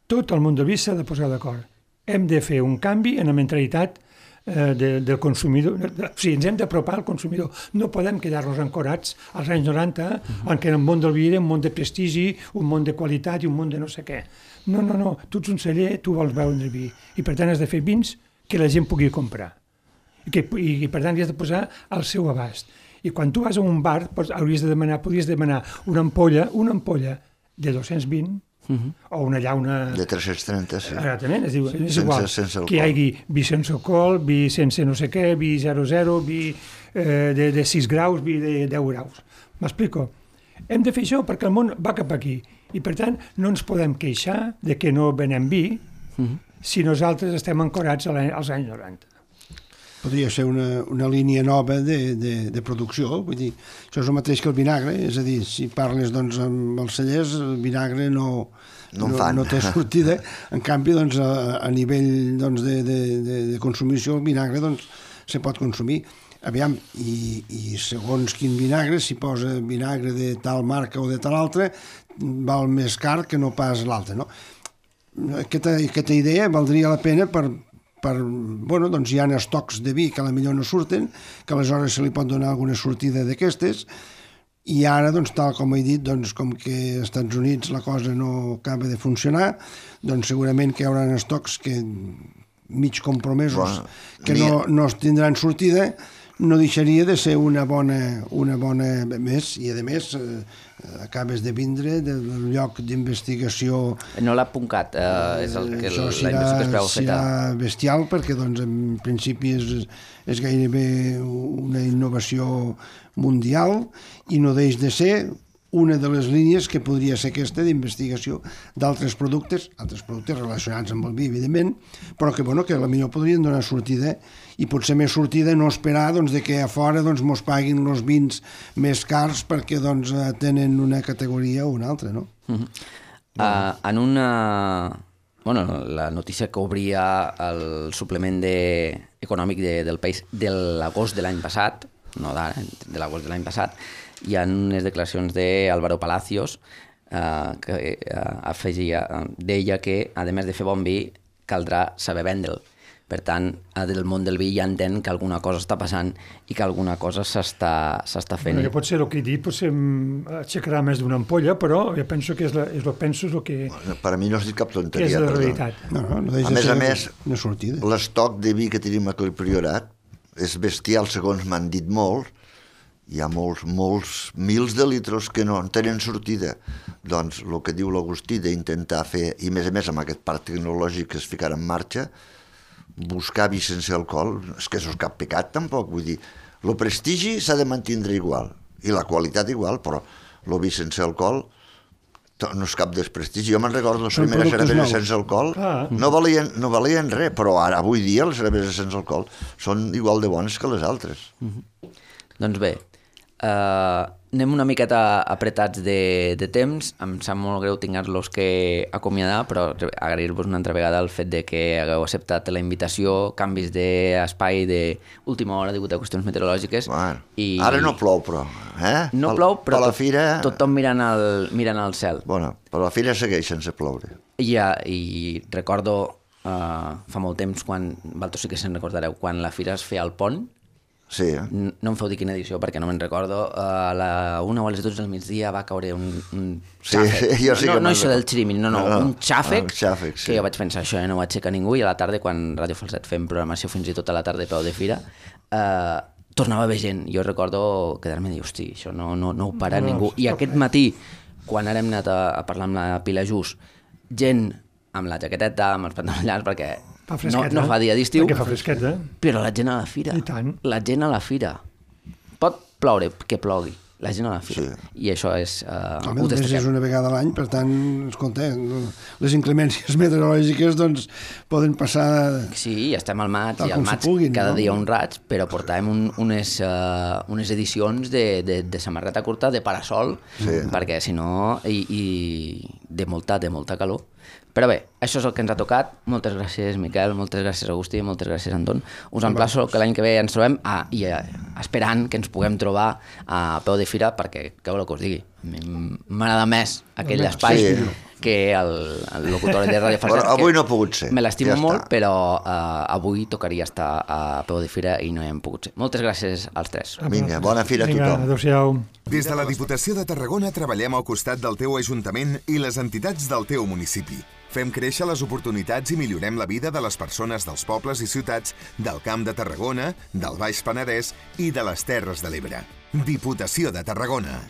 tot el món del vi s'ha de posar d'acord. Hem de fer un canvi en la mentalitat del consumidor. O sigui, ens hem d'apropar al consumidor. No podem quedar-nos ancorats als anys 90, en què el món del vi era un món de prestigi, un món de qualitat i un món de no sé què. No, tu ets un celler, tu vols beure vi. I per tant has de fer vins que la gent pugui comprar. I per tant li has de posar al seu abast. I quan tu vas a un bar podries demanar una ampolla de 220 o una llauna... De 330, sí. Exactament, és igual. Sense alcohol. Que hi hagi vi sense alcohol, vi sense no sé què, vi 00, vi de 6 graus, vi de 10 graus. M'explico? Hem de fer això perquè el món va cap aquí. I per tant no ens podem queixar de que no venem vi si nosaltres estem ancorats als anys 90. Podria ser una línia nova de producció, vull dir, això és el mateix que el vinagre, és a dir, si parles doncs, amb els cellers, el vinagre no té sortida, en canvi, doncs, a nivell doncs, de consumició, el vinagre doncs, se pot consumir. Aviam, i segons quin vinagre, si posa vinagre de tal marca o de tal altra, val més car que no pas l'altre, no? Aquesta idea valdria la pena bueno, doncs hi ha estocs de vi que potser no surten, que aleshores se li pot donar alguna sortida d'aquestes, i ara, doncs, tal com he dit, doncs, com que als Estats Units la cosa no acaba de funcionar, doncs segurament que hi haurà estocs que mig compromesos que no tindran sortida, no deixaria de ser una bona més, i a més acabes de vindre del lloc d'investigació. No l'ha puncat, és el que la investigació es veu feta. Serà bestial perquè doncs, en principi és gairebé una innovació mundial i no deix de ser una de les línies que podria ser aquesta d'investigació d'altres productes relacionats amb el vi, evidentment, però que potser podrien donar sortida, i potser més sortida no esperar doncs, de que a fora doncs, mos paguin els vins més cars perquè doncs, tenen una categoria o una altra, no? En una... Bueno, la notícia que obria el suplement econòmic del País de l'agost de l'any passat, no d'ara, de l'agost de l'any passat, hi ha unes declaracions d'Álvaro Palacios que deia que, a més de fer bon vi, caldrà saber vendre'l. Per tant, del món del vi ja entén que alguna cosa està passant i que alguna cosa s'està fent. Bueno, potser el que he dit aixecarà més d'una ampolla, però jo penso que és el que... Per a mi no has dit cap tonteria. Que és la realitat. A més, l'estoc de vi que tenim aquí al Priorat és bestial, segons m'han dit molt. Hi ha molts mils de litros que no tenen sortida. Doncs el que diu l'Agustí d'intentar fer, i a més amb aquest parc tecnològic que es ficarà en marxa, buscar vi sense alcohol, és que això és cap pecat tampoc, vull dir, el prestigi s'ha de mantindre igual, i la qualitat igual, però el vi sense alcohol no és cap desprestigi. Jo me'n recordo les primeres cerveses sense alcohol, no valien res, però ara, avui dia, les cerveses sense alcohol són igual de bones que les altres. Doncs bé, anem una miqueta apretats de temps. Em sap molt greu tinguer-los que acomiadar, però agrair-vos una altra vegada el fet de que hagueu acceptat la invitació, canvis d'espai d'última hora degut a qüestions meteorològiques. Ara no plou, però. No plou, però tothom mirant al cel. Bueno, però la fira segueix sense ploure. I recordo fa molt temps, vosaltres sí que se'n recordareu, quan la fira es feia al pont. Sí. No em feu dir quina edició perquè no me'n recordo. A la 1 o a les 12 del migdia va caure un xàfec. Sí, jo sí que no això del xirimil, un xàfec, sí. Que jo vaig pensar, això no ho aixeca ningú, i a la tarda, quan Ràdio Falset fem programació fins i tot a la tarda a peu de fira, tornava a haver gent. Jo recordo quedar-me i dir, hosti, això no ho para ningú. I aquest matí, quan ara hem anat a parlar amb la Pilar Just, gent amb la jaqueteta, amb els pantalons llargs, perquè no fa dia d'estiu, perquè fa fresqueta, però la gent a la fira. I tant. La gent a la fira. Pot ploure, que plogui. La gent a la fira. I això és... és una vegada a l'any, per tant, escolta, les inclemències meteorològiques doncs, poden passar... Sí, estem al maig, i al maig cada dia un raig, però portàvem unes edicions de samarreta curta, de parasol, perquè si no... i de molta calor. Però bé, això és el que ens ha tocat. Moltes gràcies, Miquel, moltes gràcies, Agustí, moltes gràcies, Anton. Us emplaço que l'any que ve ens trobem i esperant que ens puguem trobar a peu de fira, perquè, què voleu que us digui? M'agrada més aquell espai que el locutor de Ràdio Falset. Avui no ha pogut ser. Me l'estimo molt, però avui tocaria estar a peu de fira i no hi hem pogut ser. Moltes gràcies als tres. Vinga, bona fira a tothom. Adéu-siau. Des de la Diputació de Tarragona treballem al costat del teu ajuntament i les entitats del teu municipi. Fem créixer les oportunitats i millorem la vida de les persones dels pobles i ciutats del Camp de Tarragona, del Baix Penedès i de les Terres de l'Ebre. Diputació de Tarragona.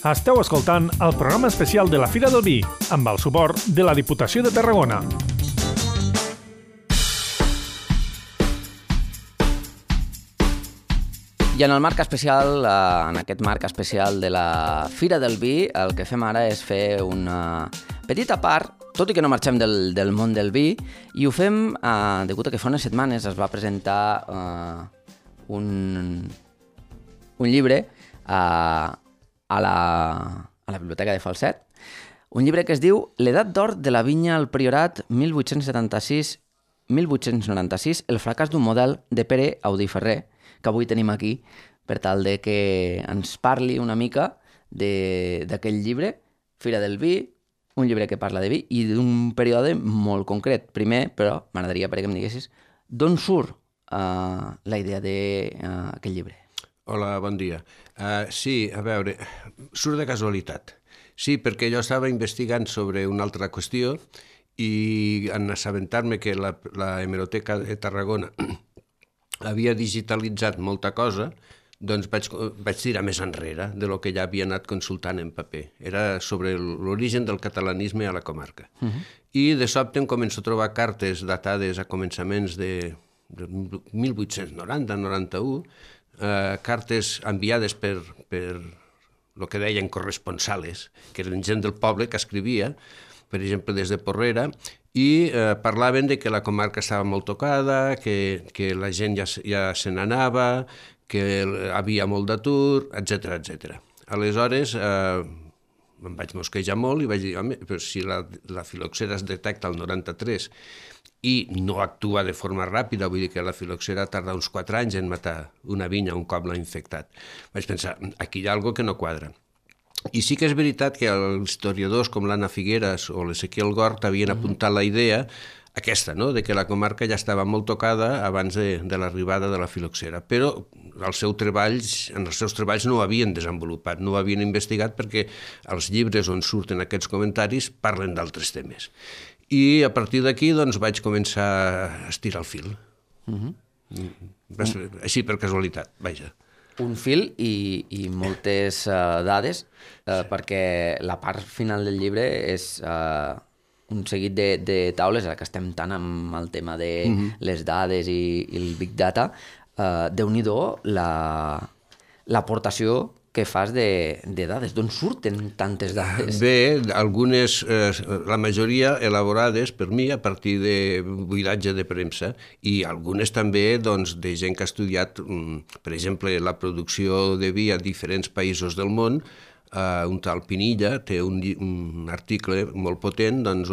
Esteu escoltant el programa especial de la Fira del Vi, amb el suport de la Diputació de Tarragona. I en el marc especial, en aquest marc especial de la Fira del Vi, el que fem ara és fer una petita part, tot i que no marxem del món del vi, i ho fem degut a que fa unes setmanes es va presentar un llibre a la Biblioteca de Falset, un llibre que es diu L'edat d'or de la vinya al Priorat 1896, el fracàs d'un model, de Pere Audí Ferrer, que avui tenim aquí per tal de que ens parli una mica d'aquell llibre, Fira del Vi, un llibre que parla de vi i d'un període molt concret. Primer, però, m'agradaria perquè em diguessis d'on surt la idea d'aquest llibre. Hola, bon dia. Sí, a veure, surt de casualitat. Sí, perquè jo estava investigant sobre una altra qüestió i en assabentar-me que la Hemeroteca de Tarragona havia digitalitzat molta cosa, doncs vaig tirar més enrere de lo que ja havia anat consultant en paper. Era sobre l'origen del catalanisme a la comarca. I de sobte em començo a trobar cartes datades a començaments de 1890-91, cartes enviades per el que deien corresponsales, que eren gent del poble que escrivia, per exemple, des de Porrera, i parlaven de que la comarca estava molt tocada, que la gent ja se n'anava, que havia molt d'atur, etc etc. Aleshores, em vaig mosquejar molt i vaig dir, home, però si la filoxera es detecta al 93 i no actua de forma ràpida, vull dir que la filoxera tarda uns 4 anys en matar una vinya un cop l'ha infectat. Vaig pensar, aquí hi ha alguna cosa que no quadra. I sí que és veritat que els historiadors com l'Anna Figueras o l'Ezequiel Gort havien apuntat la idea aquesta, no?, de que la comarca ja estava molt tocada abans de l'arribada de la filoxera, però en els seus treballs no ho havien desenvolupat, no ho havien investigat perquè els llibres on surten aquests comentaris parlen d'altres temes. I a partir d'aquí doncs, vaig començar a estirar el fil. Així per casualitat, vaja. Un fil i moltes dades, perquè la part final del llibre és un seguit de taules, ara que estem tant amb el tema de les dades i el Big Data. Déu-n'hi-do l'aportació que fas de dades. D'on surten tantes dades? Bé, algunes, la majoria elaborades per mi a partir de buidatge de premsa i algunes també doncs, de gent que ha estudiat, per exemple, la producció de vi a diferents països del món. Un tal Pinilla té un article molt potent doncs,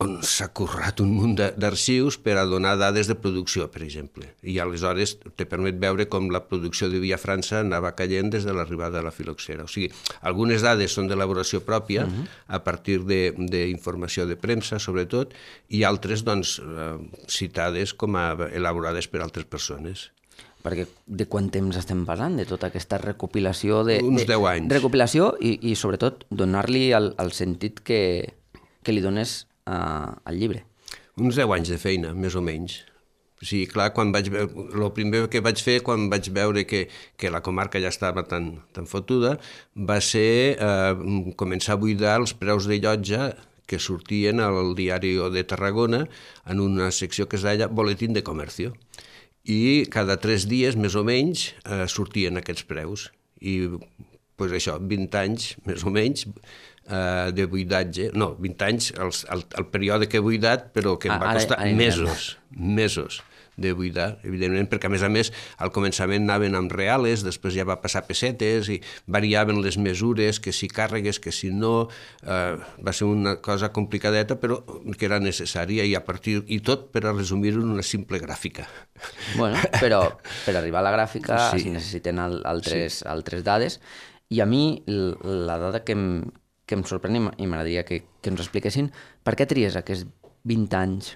on s'ha currat un munt d'arxius per a donar dades de producció, per exemple. I aleshores te permet veure com la producció de vi a França anava caient des de l'arribada de la filoxera. O sigui, algunes dades són d'elaboració pròpia, a partir d'informació de premsa, sobretot, i altres doncs, citades com a elaborades per altres persones. Perquè de quant temps estem parlant, de tota aquesta recopilació? Uns 10 anys. Recopilació i sobretot, donar-li el sentit que li dones al llibre. Uns 10 anys de feina, més o menys. O sigui, clar, el primer que vaig fer quan vaig veure que la comarca ja estava tan fotuda va ser començar a buidar els preus de llotja que sortien al Diari de Tarragona en una secció que es deia Boletín de Comercio. I cada 3 dies, més o menys, sortien aquests preus. I doncs això, 20 anys, més o menys, de buidatge. No, 20 anys, el període que he buidat, però que em va costar mesos de buidar, evidentment, perquè a més, al començament anaven amb reales, després ja va passar pessetes i variaven les mesures, que si càrregues, que si no. Va ser una cosa complicadeta, però que era necessària i tot per a resumir-ho en una simple gràfica. Bueno, però per arribar a la gràfica es necessiten altres dades i a mi la dada que em sorprèn i m'agradaria que ens expliquessin per què tries aquests 20 anys?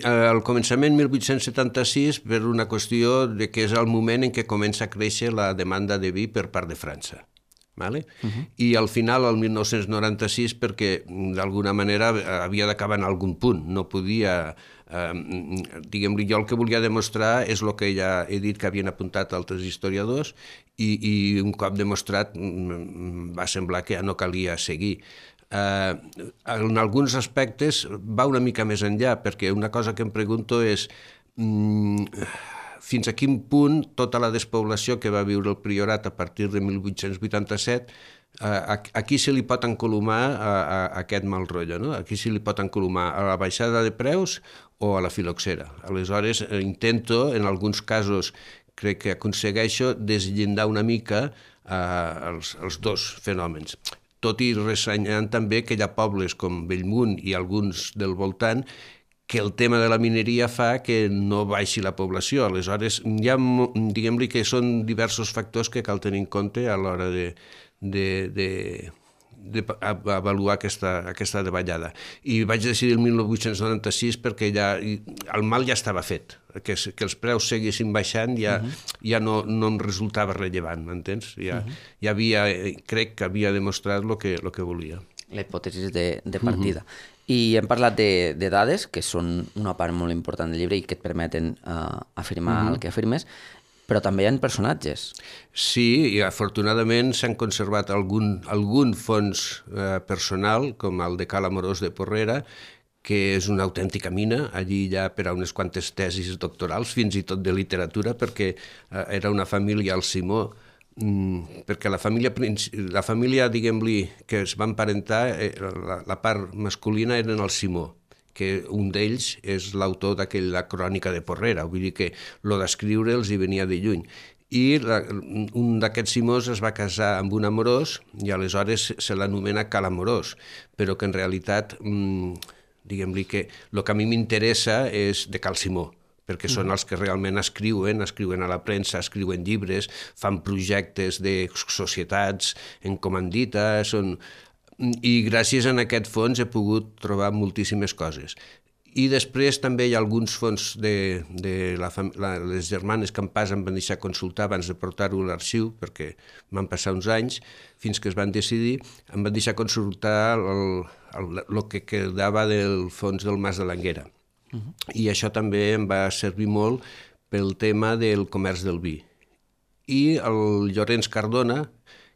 Al començament, 1876, per una qüestió de que és el moment en què comença a créixer la demanda de vi per part de França. I al final, el 1996, perquè d'alguna manera havia d'acabar en algun punt, no podia... Diguem-li, jo el que volia demostrar és el que ja he dit que havien apuntat altres historiadors i un cop demostrat va semblar que ja no calia seguir. En alguns aspectes va una mica més enllà, perquè una cosa que em pregunto és fins a quin punt tota la despoblació que va viure el Priorat a partir de 1887 a qui se li pot encolomar aquest mal rotllo, no? A qui se li pot encolomar? A la baixada de preus o a la filoxera? Aleshores, intento, en alguns casos, crec que aconsegueixo desllindar una mica els dos fenòmens. Tot i ressenyant també que hi ha pobles com Bellmunt i alguns del voltant que el tema de la mineria fa que no baixi la població. Aleshores, hi ha, diguem-li que són diversos factors que cal tenir en compte a l'hora d'avaluar aquesta davallada. I vaig decidir el 1896 perquè el mal ja estava fet. Que els preus seguissin baixant ja no em resultava rellevant, m'entens? Crec que havia demostrat el que volia. La hipòtesi de partida. I hem parlat de dades, que són una part molt important del llibre i que et permeten afirmar el que afirmes, però també hi ha personatges. Sí, i afortunadament s'han conservat algun fons personal, com el de Cal Amorós de Porrera, que és una autèntica mina. Allí hi ha per a unes quantes tesis doctorals, fins i tot de literatura, perquè era una família, el Simó, perquè la família, diguem-li, que es va emparentar, la part masculina eren el Simó, que un d'ells és l'autor d'aquella crònica de Porrera, vull dir que lo d'escriure els hi venia de lluny. i un d'aquests Simós es va casar amb un amorós i aleshores se l'anomena Cal Amorós, però que en realitat, diguem-li que el que a mi m'interessa és de Cal Simó, perquè són els que realment escriuen a la premsa, escriuen llibres, fan projectes de societats en comandita, i gràcies a aquest fons he pogut trobar moltíssimes coses. I després també hi ha alguns fons de les germanes que em em van deixar consultar abans de portar-ho a l'arxiu, perquè van passar uns anys, fins que es van decidir, em van deixar consultar el que quedava del fons del Mas de l'Anguera. I això també em va servir molt pel tema del comerç del vi. I el Llorenç Cardona,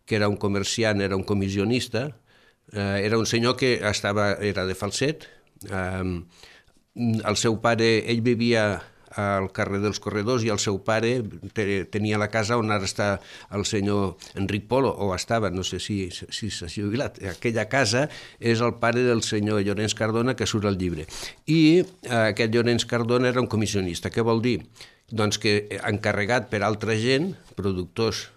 que era un comerciant, era un comissionista, era un senyor que era de Falset. El seu pare, ell vivia al carrer dels Corredors i el seu pare tenia la casa on ara està el senyor Enric Polo, o estava, no sé si s'ha jubilat. Aquella casa és el pare del senyor Llorenç Cardona que surt al llibre. I aquest Llorenç Cardona era un comissionista. Què vol dir? Doncs que encarregat per altra gent, productors,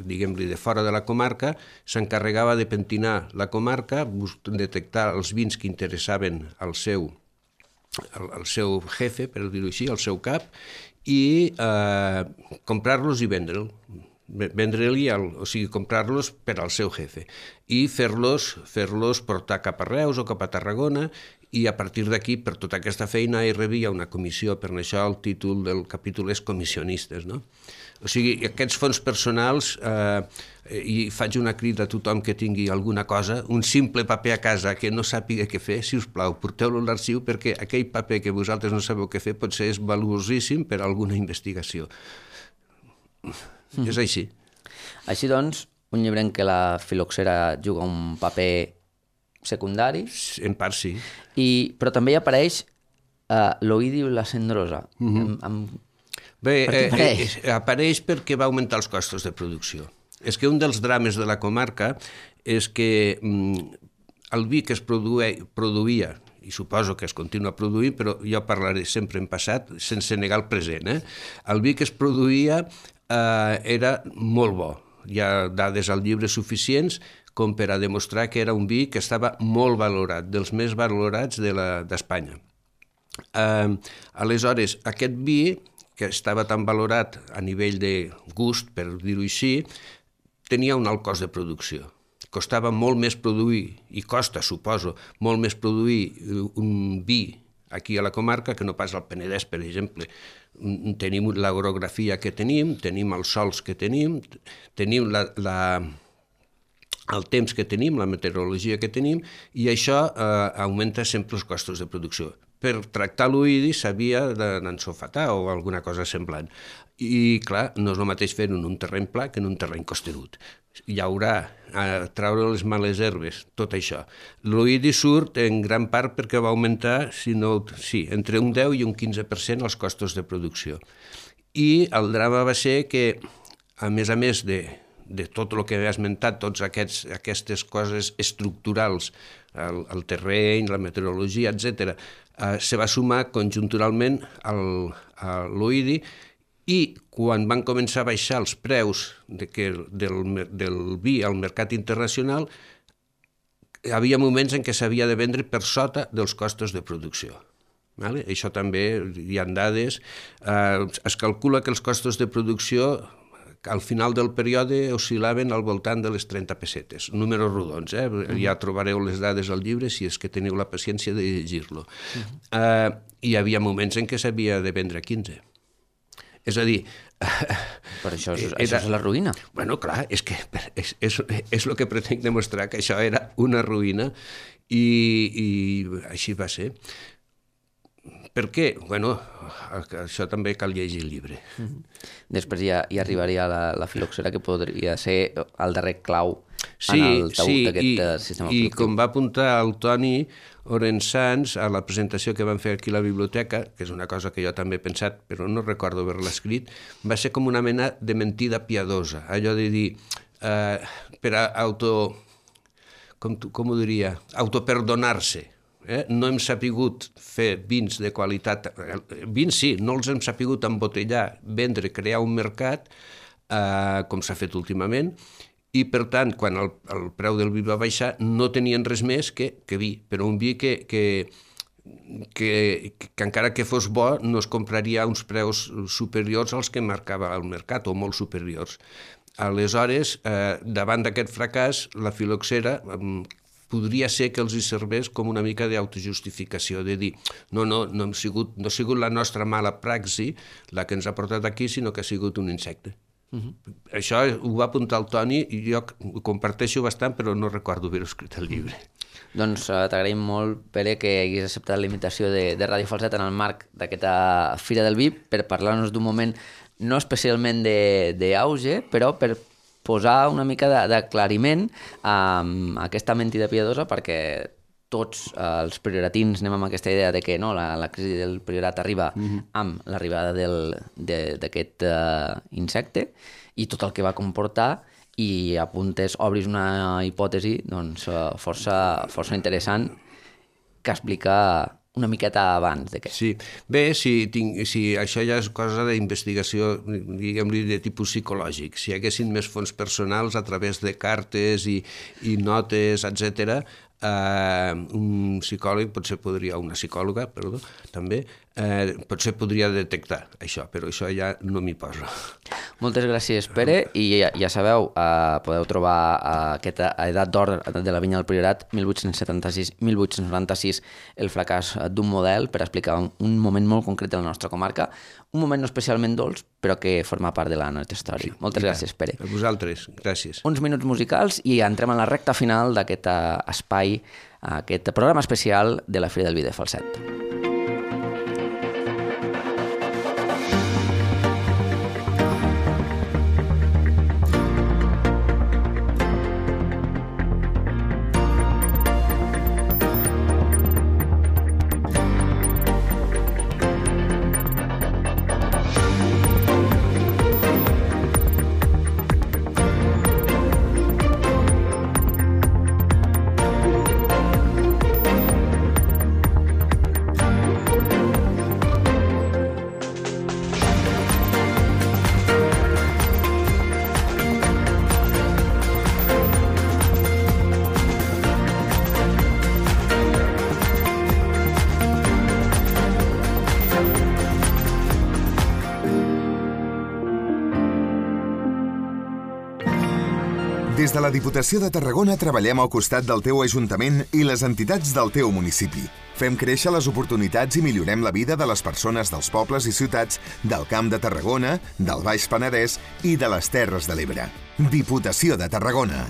diguem-li, de fora de la comarca, s'encarregava de pentinar la comarca, detectar els vins que interessaven al seu jefe, per dir-ho així, al seu cap, i comprar-los i vendre'ls. Vendre-li, o sigui, comprar-los per al seu jefe i fer-los portar cap a Reus o cap a Tarragona, i a partir d'aquí, per tota aquesta feina, hi rebia una comissió. Per això el títol del capítol és Comissionistes, no? O sigui, aquests fons personals, i faig una crida a tothom que tingui alguna cosa, un simple paper a casa que no sàpiga què fer, si us plau, porteu-lo a l'arxiu, perquè aquell paper que vosaltres no sabeu què fer potser és valuosíssim per a alguna investigació. És així. Així doncs, un llibre en què la filoxera juga un paper secundari. En part sí. Però també hi apareix l'oïdi i la cendrosa. Bé, apareix perquè va augmentar els costos de producció. És que un dels drames de la comarca és que el vi que es produïa, i suposo que es continua produint, però jo parlaré sempre en passat, sense negar el present, el vi que es produïa era molt bo. Hi ha dades al llibre suficients com per a demostrar que era un vi que estava molt valorat, dels més valorats d'Espanya. Aleshores, aquest vi, que estava tan valorat a nivell de gust, per dir-ho així, tenia un alt cost de producció. Costava molt més produir, i costa, suposo, molt més produir un vi aquí a la comarca que no pas al Penedès, per exemple. Tenim l'orografia que tenim els sols que tenim el temps que tenim, la meteorologia que tenim, i això augmenta sempre els costos de producció. Per tractar l'oïdi s'havia d'ensofatar o alguna cosa semblant. I, clar, no és el mateix fer-ho en un terreny pla que en un terreny costerut. Llaurar, traure les males herbes, tot això. L'oïdi surt en gran part perquè va augmentar, entre un 10 i un 15% els costos de producció. I el drama va ser que, a més de tot el que he esmentat, totes aquestes coses estructurals, el terreny, la meteorologia, etc., se va sumar conjunturalment a l'oïdi, i quan van començar a baixar els preus del vi al mercat internacional, hi havia moments en què s'havia de vendre per sota dels costos de producció. Això també hi ha dades. Es calcula que els costos de producció al final del període oscil·laven al voltant de les 30 pessetes, números rodons, ja trobareu les dades al llibre si és que teniu la paciència de llegir-lo. Hi havia moments en què s'havia de vendre 15. És a dir... Però això és la ruïna. Bueno, clar, és el que pretenc demostrar, que això era una ruïna, i així va ser. Per què? Bueno, això també cal llegir el llibre. Després ja arribaria la filoxera, que podria ser el darrer clau en el taüt d'aquest sistema productiu. I com va apuntar el Toni Orensans a la presentació que van fer aquí a la biblioteca, que és una cosa que jo també he pensat, però no recordo haver-la escrit, va ser com una mena de mentida piadosa. Allò de dir, per com ho diria, autoperdonar-se. No hem sapigut fer vins de qualitat. Vins sí, no els hem sapigut embotellar, vendre, crear un mercat, com s'ha fet últimament, i per tant, quan el preu del vi va baixar, no tenien res més que vi, però un vi que encara que fos bo no es compraria a uns preus superiors als que marcava el mercat, o molt superiors. Aleshores, davant d'aquest fracàs, la filoxera podria ser que els hi serveix com una mica d'autojustificació, de dir, no ha sigut la nostra mala praxi la que ens ha portat aquí, sinó que ha sigut un insecte. Això ho va apuntar el Toni i jo ho comparteixo bastant, però no recordo haver-ho escrit al llibre. Doncs t'agraïm molt, Pere, que haguis acceptat la invitació de Ràdio Falset en el marc d'aquesta Fira del Vi per parlar-nos d'un moment no especialment d'auge, però per posar una mica d'aclariment a aquesta mentida piadosa, perquè tots els prioratins anem amb aquesta idea de que no, la crisi del priorat arriba amb l'arribada d'aquest insecte i tot el que va comportar, i obris una hipòtesi doncs, força interessant que explica una miqueta abans de què. Sí, bé, si això ja és cosa d'investigació, diguem-li, de tipus psicològic. Si hi haguessin més fons personals a través de cartes i notes, etc., un psicòleg una psicòloga, perdó, també, potser podria detectar això, però això ja no m'hi poso. Moltes gràcies, Pere, i ja sabeu, podeu trobar aquesta edat d'or de la vinya del Priorat, 1876-1896, el fracàs d'un model per explicar un moment molt concret de la nostra comarca, un moment no especialment dolç, però que forma part de la nostra història. Moltes gràcies, Pere. A vosaltres, gràcies. Uns minuts musicals i entrem en la recta final d'aquest espai, aquest programa especial de la Fira del Vi de Falset. Des de la Diputació de Tarragona treballem al costat del teu Ajuntament i les entitats del teu municipi. Fem créixer les oportunitats i millorem la vida de les persones dels pobles i ciutats del Camp de Tarragona, del Baix Penedès i de les Terres de l'Ebre. Diputació de Tarragona.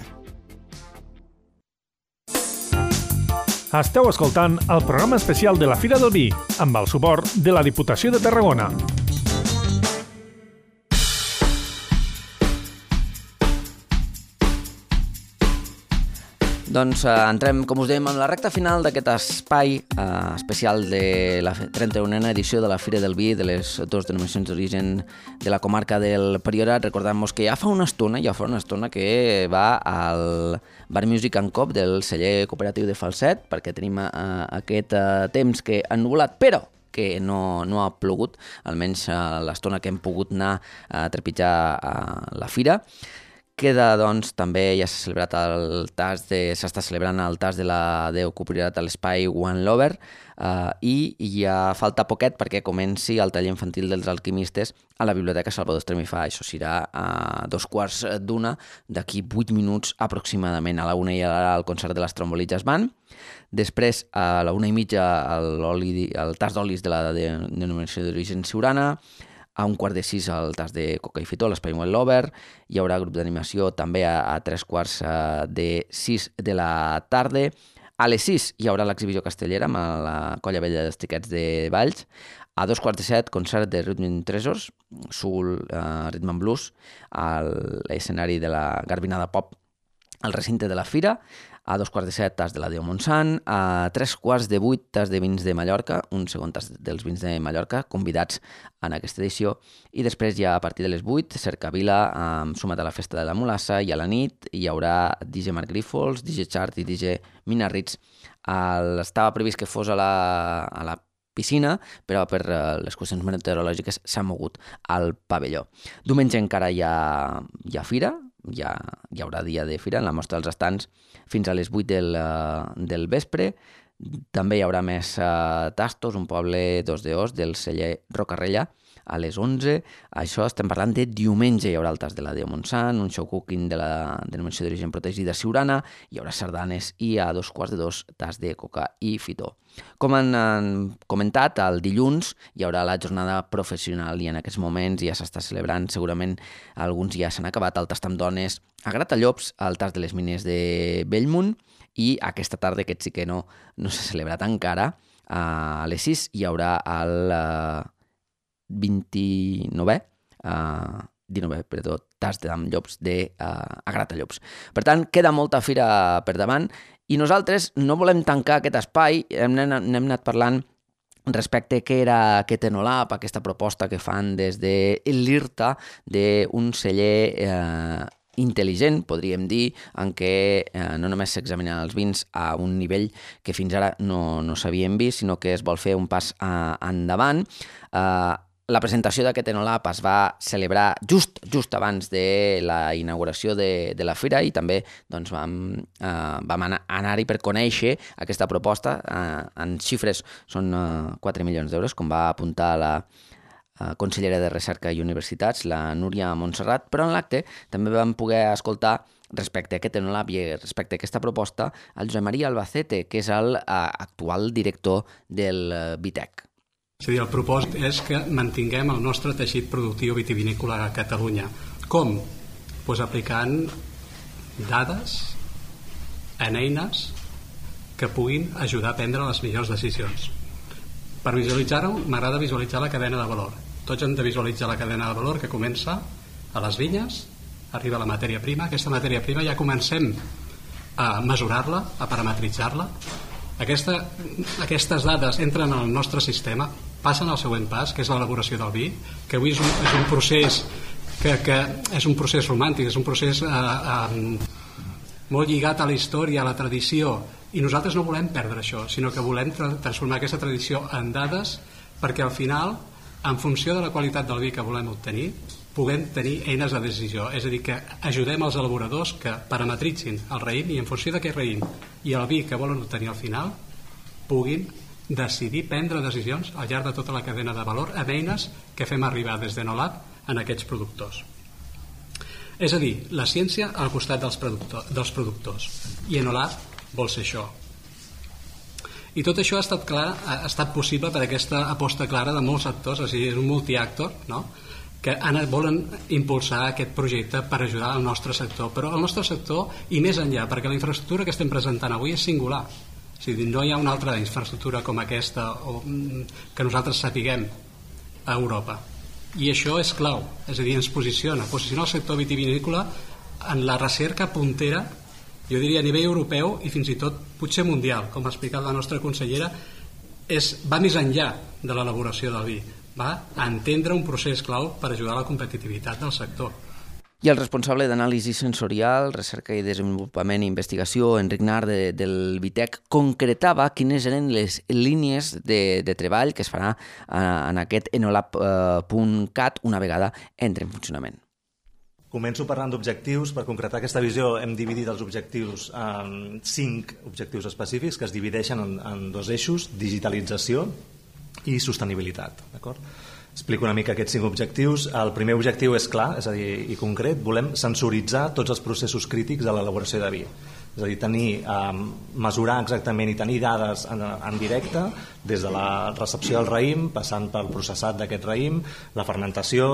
Esteu escoltant el programa especial de la Fira del Vi, amb el suport de la Diputació de Tarragona. Doncs entrem, com us dèiem, en la recta final d'aquest espai especial de la 31a edició de la Fira del Vi de les dues denominacions d'origen de la comarca del Priorat. Recordem-vos que ja fa una estona que va al Bar Music and Cop del celler cooperatiu de Falset, perquè tenim aquest temps que ha ennuvolat, però que no ha plogut, almenys l'estona que hem pogut anar a trepitjar la fira. Queda, doncs, també ja s'ha celebrat s'està celebrant el tas de la Déu Priorat a l'espai One Lover i ja falta poquet perquè comenci el taller infantil dels alquimistes a la Biblioteca Salvador Estremifà. Això serà a 2:15 d'aquí 8 minuts aproximadament. A la 1 hi haurà el concert de les Trombolitzes Band. Després, a la 1:30, el tas d'olis de la denominació d'origen Siurana. A 5:45 el tas de Coca i Fitó, l'Espai One Lover. Hi haurà grup d'animació també a 3:45 de la tarda. A les 6 hi haurà l'exhibició castellera amb la Colla Vella dels Tiquets de Valls. A 2:15, concert de Rhythm Treasures, soul, rhythm and blues, a l'escenari de la Garbinada Pop al recinte de la fira. A 2:15, tas de la Déu Montsant. A 7:45, tas de vins de Mallorca, un segon tas dels vins de Mallorca, convidats en aquesta edició. I després, ja a partir de les 8, Cercavila, sumat a la Festa de la Mulassa, i a la nit hi haurà DJ Marc Grífols, DJ Chart i DJ Mina Ritz. Estava previst que fos a la piscina, però per les qüestions meteorològiques s'ha mogut al pavelló. Diumenge encara hi ha fira, hi haurà dia de fira en la mostra dels estants fins a les 8 del vespre. També hi haurà més tastos, un poble 2 de Os del celler Rocarrella a les 11. Això estem parlant de diumenge. Hi haurà el tas de la Déu Montsant, un show cooking de la denominació d'origen protegida Siurana, hi haurà sardanes i a 2:45 tas de coca i fitó. Com han comentat, el dilluns hi haurà la jornada professional i en aquests moments ja s'està celebrant, segurament alguns ja s'han acabat, el tast amb dones a Gratallops, el tas de les mines de Bellmunt, i aquesta tarda, aquest sí que no s'ha celebrat encara, a les 6 hi haurà el 19è tas amb llops a Gratallops. Per tant, queda molta fira per davant i nosaltres no volem tancar aquest espai, n'hem anat parlant respecte a què era aquest Enolab, aquesta proposta que fan des de l'IRTA d'un celler intel·ligent, podríem dir, en què no només s'examinen els vins a un nivell que fins ara no s'havien vist, sinó que es vol fer un pas endavant. La presentació d'aquest Enolab es va celebrar just abans de la inauguració de la fira i també doncs, vam anar-hi per conèixer aquesta proposta. En xifres són 4 milions d'euros, com va apuntar la consellera de Recerca i Universitats, la Núria Montserrat, però en l'acte també vam poder escoltar respecte a aquest Enolab i respecte a aquesta proposta el Josep Maria Albacete, que és l'actual director del Vitec. És a dir, el propòsit és que mantinguem el nostre teixit productiu vitivinícola a Catalunya. Com? Doncs aplicant dades en eines que puguin ajudar a prendre les millors decisions. Per visualitzar-ho, m'agrada visualitzar la cadena de valor. Tots hem de visualitzar la cadena de valor que comença a les vinyes, arriba a la matèria prima. Aquesta matèria prima ja comencem a mesurar-la, a parametritzar-la. Aquestes dades entren al nostre sistema, passen al següent pas, que és l'elaboració del vi, que avui és un procés que és un procés romàntic, és un procés molt lligat a la història, a la tradició, i nosaltres no volem perdre això, sinó que volem transformar aquesta tradició en dades perquè al final, en funció de la qualitat del vi que volem obtenir, puguem tenir eines de decisió, és a dir, que ajudem els elaboradors que parametritzin el raïm i en funció d'aquest raïm i el vi que volen obtenir al final puguin decidir prendre decisions al llarg de tota la cadena de valor amb eines que fem arribar des d'Enolab en aquests productors. És a dir, la ciència al costat dels productors i Enolab vol ser això. I tot això ha estat possible per aquesta aposta clara de molts actors, és a dir, és un multiactor, no?, que volen impulsar aquest projecte per ajudar al nostre sector, però el nostre sector i més enllà, perquè la infraestructura que estem presentant avui és singular, és a dir, no hi ha una altra infraestructura com aquesta que nosaltres sapiguem a Europa, i això és clau, és a dir, ens posiciona el sector vitivinícola en la recerca puntera, jo diria a nivell europeu i fins i tot potser mundial, com ha explicat la nostra consellera, va més enllà de l'elaboració del vi, va a entendre un procés clau per ajudar a la competitivitat del sector. I el responsable d'anàlisi sensorial, recerca i desenvolupament i investigació, Enric Nart, del Vitec, concretava quines eren les línies de treball que es farà en aquest enolab.cat una vegada entre en funcionament. Començo parlant d'objectius. Per concretar aquesta visió hem dividit els objectius en 5 objectius específics que es divideixen en 2 eixos, digitalització i sostenibilitat. Explico una mica aquests 5 objectius. El primer objectiu és clar, és a dir, i concret, volem sensoritzar tots els processos crítics de l'elaboració de vi. És a dir, mesurar exactament i tenir dades en directe des de la recepció del raïm, passant pel processat d'aquest raïm, la fermentació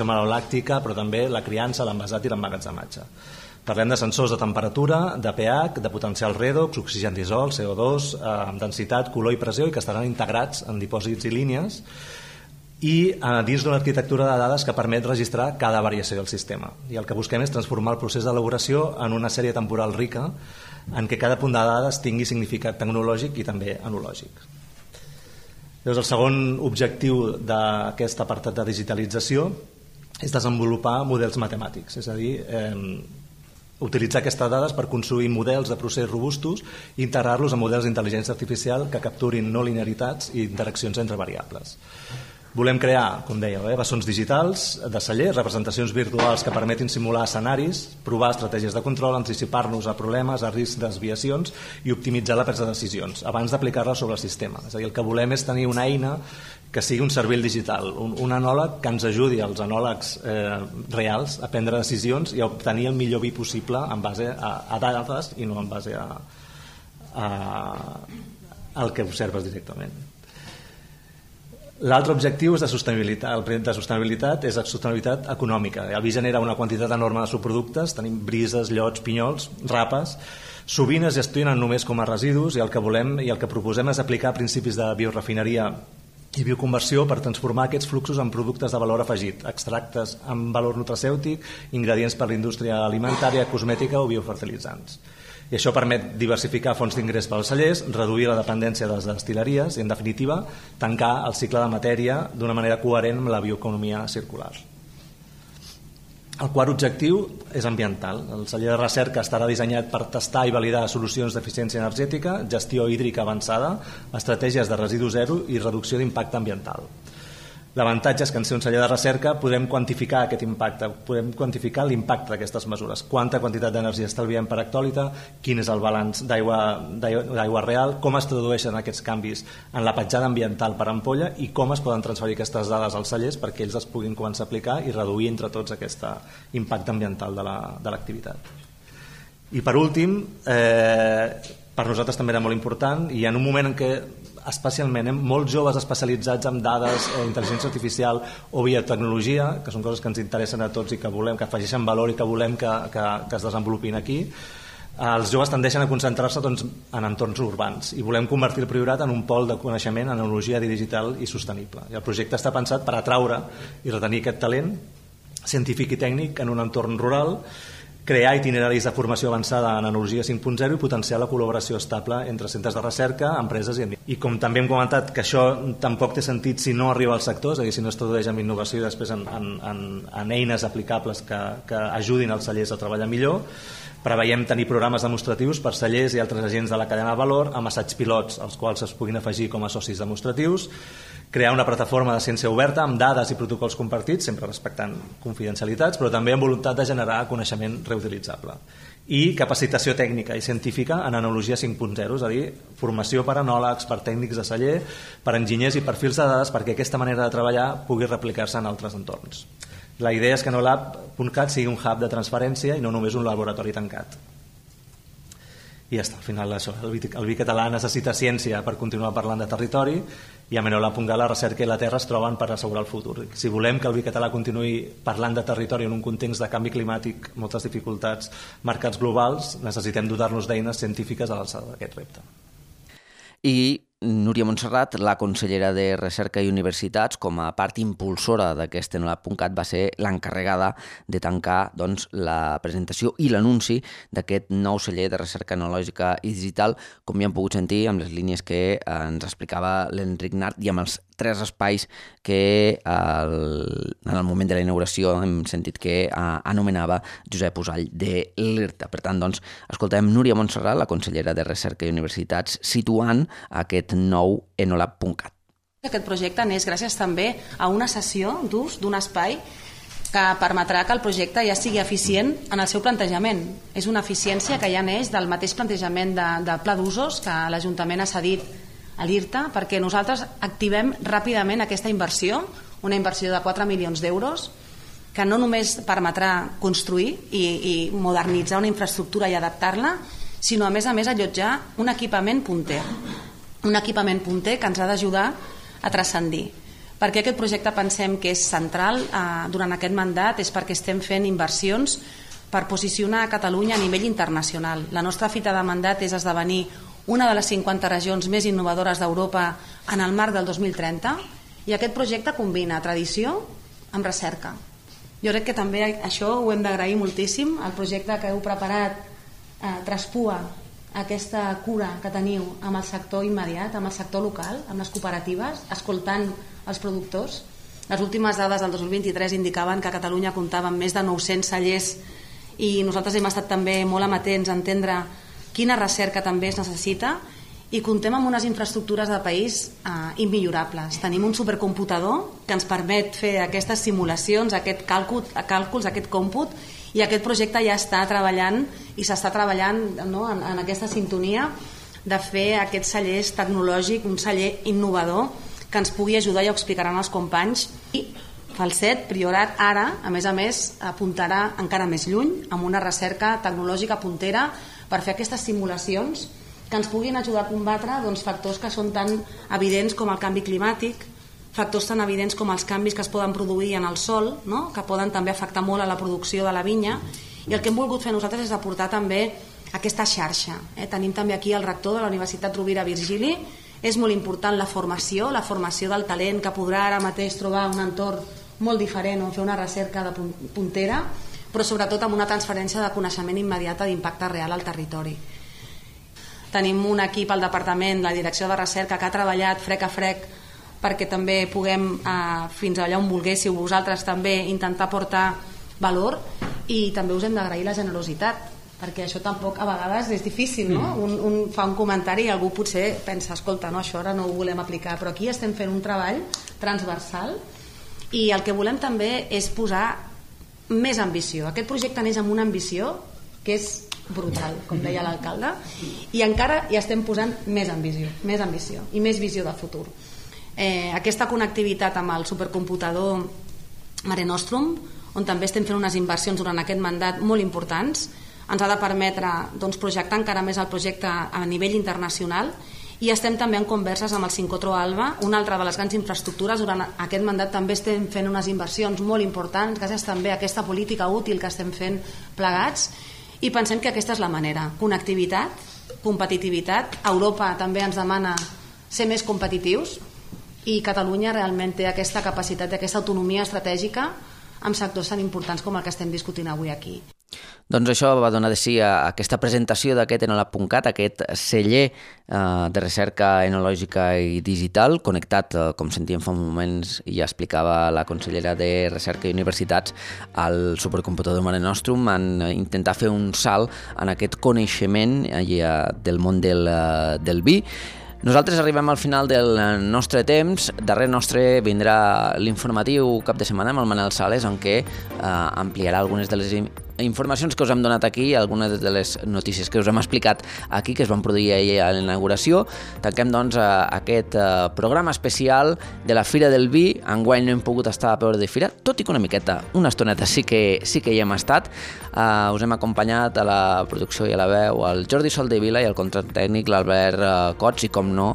malolàctica, però també la criança, l'envasat i l'emmagatzematge. Parlem de sensors de temperatura, de pH, de potencial redox, oxigen disol, CO2, densitat, color i pressió, i que estaran integrats en dipòsits i línies, i dins d'una arquitectura de dades que permet registrar cada variació del sistema. I el que busquem és transformar el procés d'elaboració en una sèrie temporal rica en què cada punt de dades tingui significat tecnològic i també enològic. Llavors, el segon objectiu d'aquest apartat de digitalització és desenvolupar models matemàtics, és a dir, utilitzar aquestes dades per construir models de procés robustos i integrar-los en models d'intel·ligència artificial que capturin no linearitats i interaccions entre variables. Volem crear, com dèieu, bessons digitals de cellers, representacions virtuals que permetin simular escenaris, provar estratègies de control, anticipar-nos a problemes, a riscs, desviacions i optimitzar la presa de decisions abans d'aplicar-la sobre el sistema. És a dir, el que volem és tenir una eina que sigui un cervell digital, un anòleg que ens ajudi als anòlegs reals a prendre decisions i a obtenir el millor vi possible en base a dades i no en base al que observes directament. L'altre objectiu és de sostenibilitat. El de sostenibilitat és la sostenibilitat econòmica. El vi genera una quantitat enorme de subproductes, tenim brises, llots, pinyols, rapes, sovint es gestionen només com a residus i el que volem i el que proposem és aplicar principis de biorefineria i bioconversió per transformar aquests fluxos en productes de valor afegit, extractes amb valor nutracèutic, ingredients per a la indústria alimentària, cosmètica o biofertilitzants. I això permet diversificar fonts d'ingrés pels cellers, reduir la dependència de les destil·leries i, en definitiva, tancar el cicle de matèria d'una manera coherent amb la bioeconomia circular. El quart objectiu és ambiental. El celler de recerca estarà dissenyat per tastar i validar solucions d'eficiència energètica, gestió hídrica avançada, estratègies de residu zero i reducció d'impacte ambiental. L'avantatge és que en ser un celler de recerca podem quantificar aquest impacte, podem quantificar l'impacte d'aquestes mesures, quanta quantitat d'energia estalviem per hectòlita, quin és el balanç d'aigua real, com es tradueixen aquests canvis en la petjada ambiental per ampolla i com es poden transferir aquestes dades als cellers perquè ells es puguin començar a aplicar i reduir entre tots aquest impacte ambiental de l'activitat. I per últim, per nosaltres també era molt important i en un moment en què especialment molts joves especialitzats en dades, intel·ligència artificial o biotecnologia, que són coses que ens interessen a tots i que volem que afegeixen valor i que volem que es desenvolupin aquí, els joves tendeixen a concentrar-se en entorns urbans i volem convertir el Priorat en un pol de coneixement en tecnologia digital i sostenible. I el projecte està pensat per atraure i retenir aquest talent científic i tècnic en un entorn rural, crear itineraris de formació avançada en Enologia 5.0 i potenciar la col·laboració estable entre centres de recerca, empreses i ambients. I com també hem comentat que això tampoc té sentit si no arriba al sector, és a dir, si no es tradueix en innovació i després en eines aplicables que ajudin els cellers a treballar millor, preveiem tenir programes demostratius per cellers i altres agents de la cadena de valor amb assaigs pilots als quals es puguin afegir com a socis demostratius, crear una plataforma de ciència oberta amb dades i protocols compartits, sempre respectant confidencialitats, però també amb voluntat de generar coneixement reutilitzable. I capacitació tècnica i científica en Enologia 5.0, és a dir, formació per enòlegs, per tècnics de celler, per enginyers i perfils de dades perquè aquesta manera de treballar pugui replicar-se en altres entorns. La idea és que enolab.cat sigui un hub de transferència i no només un laboratori tancat. I ja està, al final això, el vi català necessita ciència per continuar parlant de territori i a Enolab.cat la recerca i la terra es troben per assegurar el futur. Si volem que el vi català continuï parlant de territori en un context de canvi climàtic, moltes dificultats, mercats globals, necessitem dotar-nos d'eines científiques a l'alçada d'aquest repte. I Núria Montserrat, la consellera de Recerca i Universitats, com a part impulsora d'aquest Enolab.cat, va ser l'encarregada de tancar la presentació i l'anunci d'aquest nou celler de recerca enològica i digital, com ja hem pogut sentir amb les línies que ens explicava l'Enric Nart i amb els 3 espais que en el moment de la inauguració hem sentit que anomenava Josep Usall de l'IRTA. Per tant, escoltem Núria Montserrat, la consellera de Recerca i Universitats, situant aquest nou Enolab.cat. Aquest projecte neix gràcies també a una cessió d'ús d'un espai que permetrà que el projecte ja sigui eficient en el seu plantejament. És una eficiència que ja neix del mateix plantejament de pla d'usos que l'Ajuntament ha cedit a l'IRTA perquè nosaltres activem ràpidament aquesta inversió, una inversió de 4 milions d'euros que no només permetrà construir i modernitzar una infraestructura i adaptar-la, sinó a més allotjar un equipament punter. Un equipament punter que ens ha d'ajudar a transcendir. Per què aquest projecte pensem que és central durant aquest mandat? És perquè estem fent inversions per posicionar Catalunya a nivell internacional. La nostra fita de mandat és esdevenir una de les 50 regions més innovadores d'Europa en el marc del 2030 i aquest projecte combina tradició amb recerca. Jo crec que també això ho hem d'agrair moltíssim. El projecte que heu preparat traspua aquesta cura que teniu amb el sector immediat, amb el sector local, amb les cooperatives, escoltant els productors. Les últimes dades del 2023 indicaven que Catalunya comptava amb més de 900 cellers i nosaltres hem estat també molt amatents a entendre quina recerca també es necessita, i comptem amb unes infraestructures de país immillorables. Tenim un supercomputador que ens permet fer aquestes simulacions, aquests càlculs, aquest còmput, i aquest projecte ja està treballant i s'està treballant, no, en aquesta sintonia de fer aquest celler tecnològic, un celler innovador que ens pugui ajudar, i ho explicaran els companys. I Falset, Priorat, ara, a més, apuntarà encara més lluny amb una recerca tecnològica puntera per fer aquestes simulacions que ens puguin ajudar a combatre factors que són tan evidents com el canvi climàtic, factors tan evidents com els canvis que es poden produir en el sòl, no? Que poden també afectar molt a la producció de la vinya, i el que hem volgut fer nosaltres és aportar també aquesta xarxa. Tenim també aquí el rector de la Universitat Rovira Virgili. És molt important la formació del talent que podrà ara mateix trobar un entorn molt diferent on fer una recerca de puntera, però sobretot amb una transferència de coneixement immediata d'impacte real al territori. Tenim un equip al departament, la direcció de recerca, que ha treballat frec a frec perquè també puguem, fins allà on volguéssiu vosaltres també, intentar portar valor, i també us hem d'agrair la generositat, perquè això tampoc a vegades és difícil, no? Un fa un comentari i algú potser pensa, escolta, no, això ara no ho volem aplicar, però aquí estem fent un treball transversal, i el que volem també és posar més ambició. Aquest projecte neix amb una ambició que és brutal, com deia l'alcalde, i encara hi estem posant més ambició i més visió de futur. Aquesta connectivitat amb el supercomputador Mare Nostrum, on també estem fent unes inversions durant aquest mandat molt importants, ens ha de permetre projectar encara més el projecte a nivell internacional, i estem també en converses amb el Sincotro Alba, una altra de les grans infraestructures. Durant aquest mandat també estem fent unes inversions molt importants, gràcies també a aquesta política útil que estem fent plegats, i pensem que aquesta és la manera: connectivitat, competitivitat. Europa també ens demana ser més competitius, i Catalunya realment té aquesta capacitat, aquesta autonomia estratègica amb sectors tan importants com el que estem discutint avui aquí. Doncs això va donar de si a aquesta presentació d'aquest enolab.cat, aquest celler de recerca enològica i digital, connectat, com sentíem fa uns moments, i ja explicava la consellera de Recerca i Universitats, al supercomputador Mare Nostrum, en intentar fer un salt en aquest coneixement del món del vi. Nosaltres arribem al final del nostre temps. Darrere nostre vindrà l'informatiu cap de setmana amb el Manel Sales, en què ampliarà algunes de les informacions que us hem donat aquí, algunes de les notícies que us hem explicat aquí, que es van produir ahir a la inauguració. Tanquem, doncs, aquest programa especial de la Fira del Vi. Enguany no hem pogut estar a peu de fira, tot i que una miqueta, una estoneta sí que hi hem estat. Us hem acompanyat a la producció i a la veu el Jordi Soldevila i al control tècnic l'Albert Cots, i com no,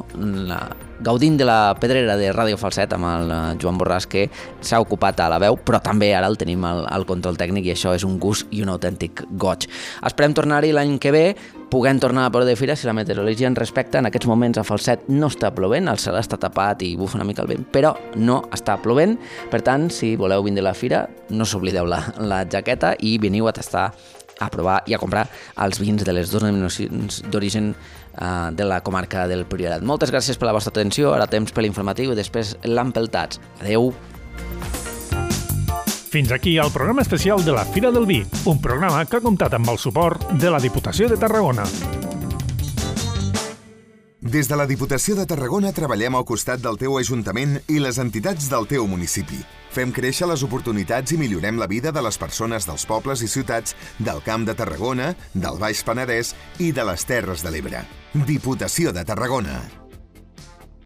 gaudint de la pedrera de Ràdio Falset amb el Joan Borràs, que s'ha ocupat a la veu, però també ara el tenim al control tècnic, i això és un gust i un autèntic goig. Esperem tornar-hi l'any que ve, puguem tornar a peu de fira si la meteorologia ens respecta. En aquests moments a Falset no està plovent, el cel està tapat i bufa una mica el vent, però no està plovent. Per tant, si voleu vindre a la fira, no s'oblideu la jaqueta i veniu a tastar, a provar i a comprar els vins de les dues denominacions d'origen de la comarca del Priorat. Moltes gràcies per la vostra atenció. Ara temps per l'informatiu i després l'Ampeltats. Adeu. Fins aquí el programa especial de la Fira del Vi, un programa que ha comptat amb el suport de la Diputació de Tarragona. Des de la Diputació de Tarragona treballem al costat del teu Ajuntament i les entitats del teu municipi. Fem créixer les oportunitats i millorem la vida de les persones dels pobles i ciutats del Camp de Tarragona, del Baix Penedès i de les Terres de l'Ebre. Diputació de Tarragona.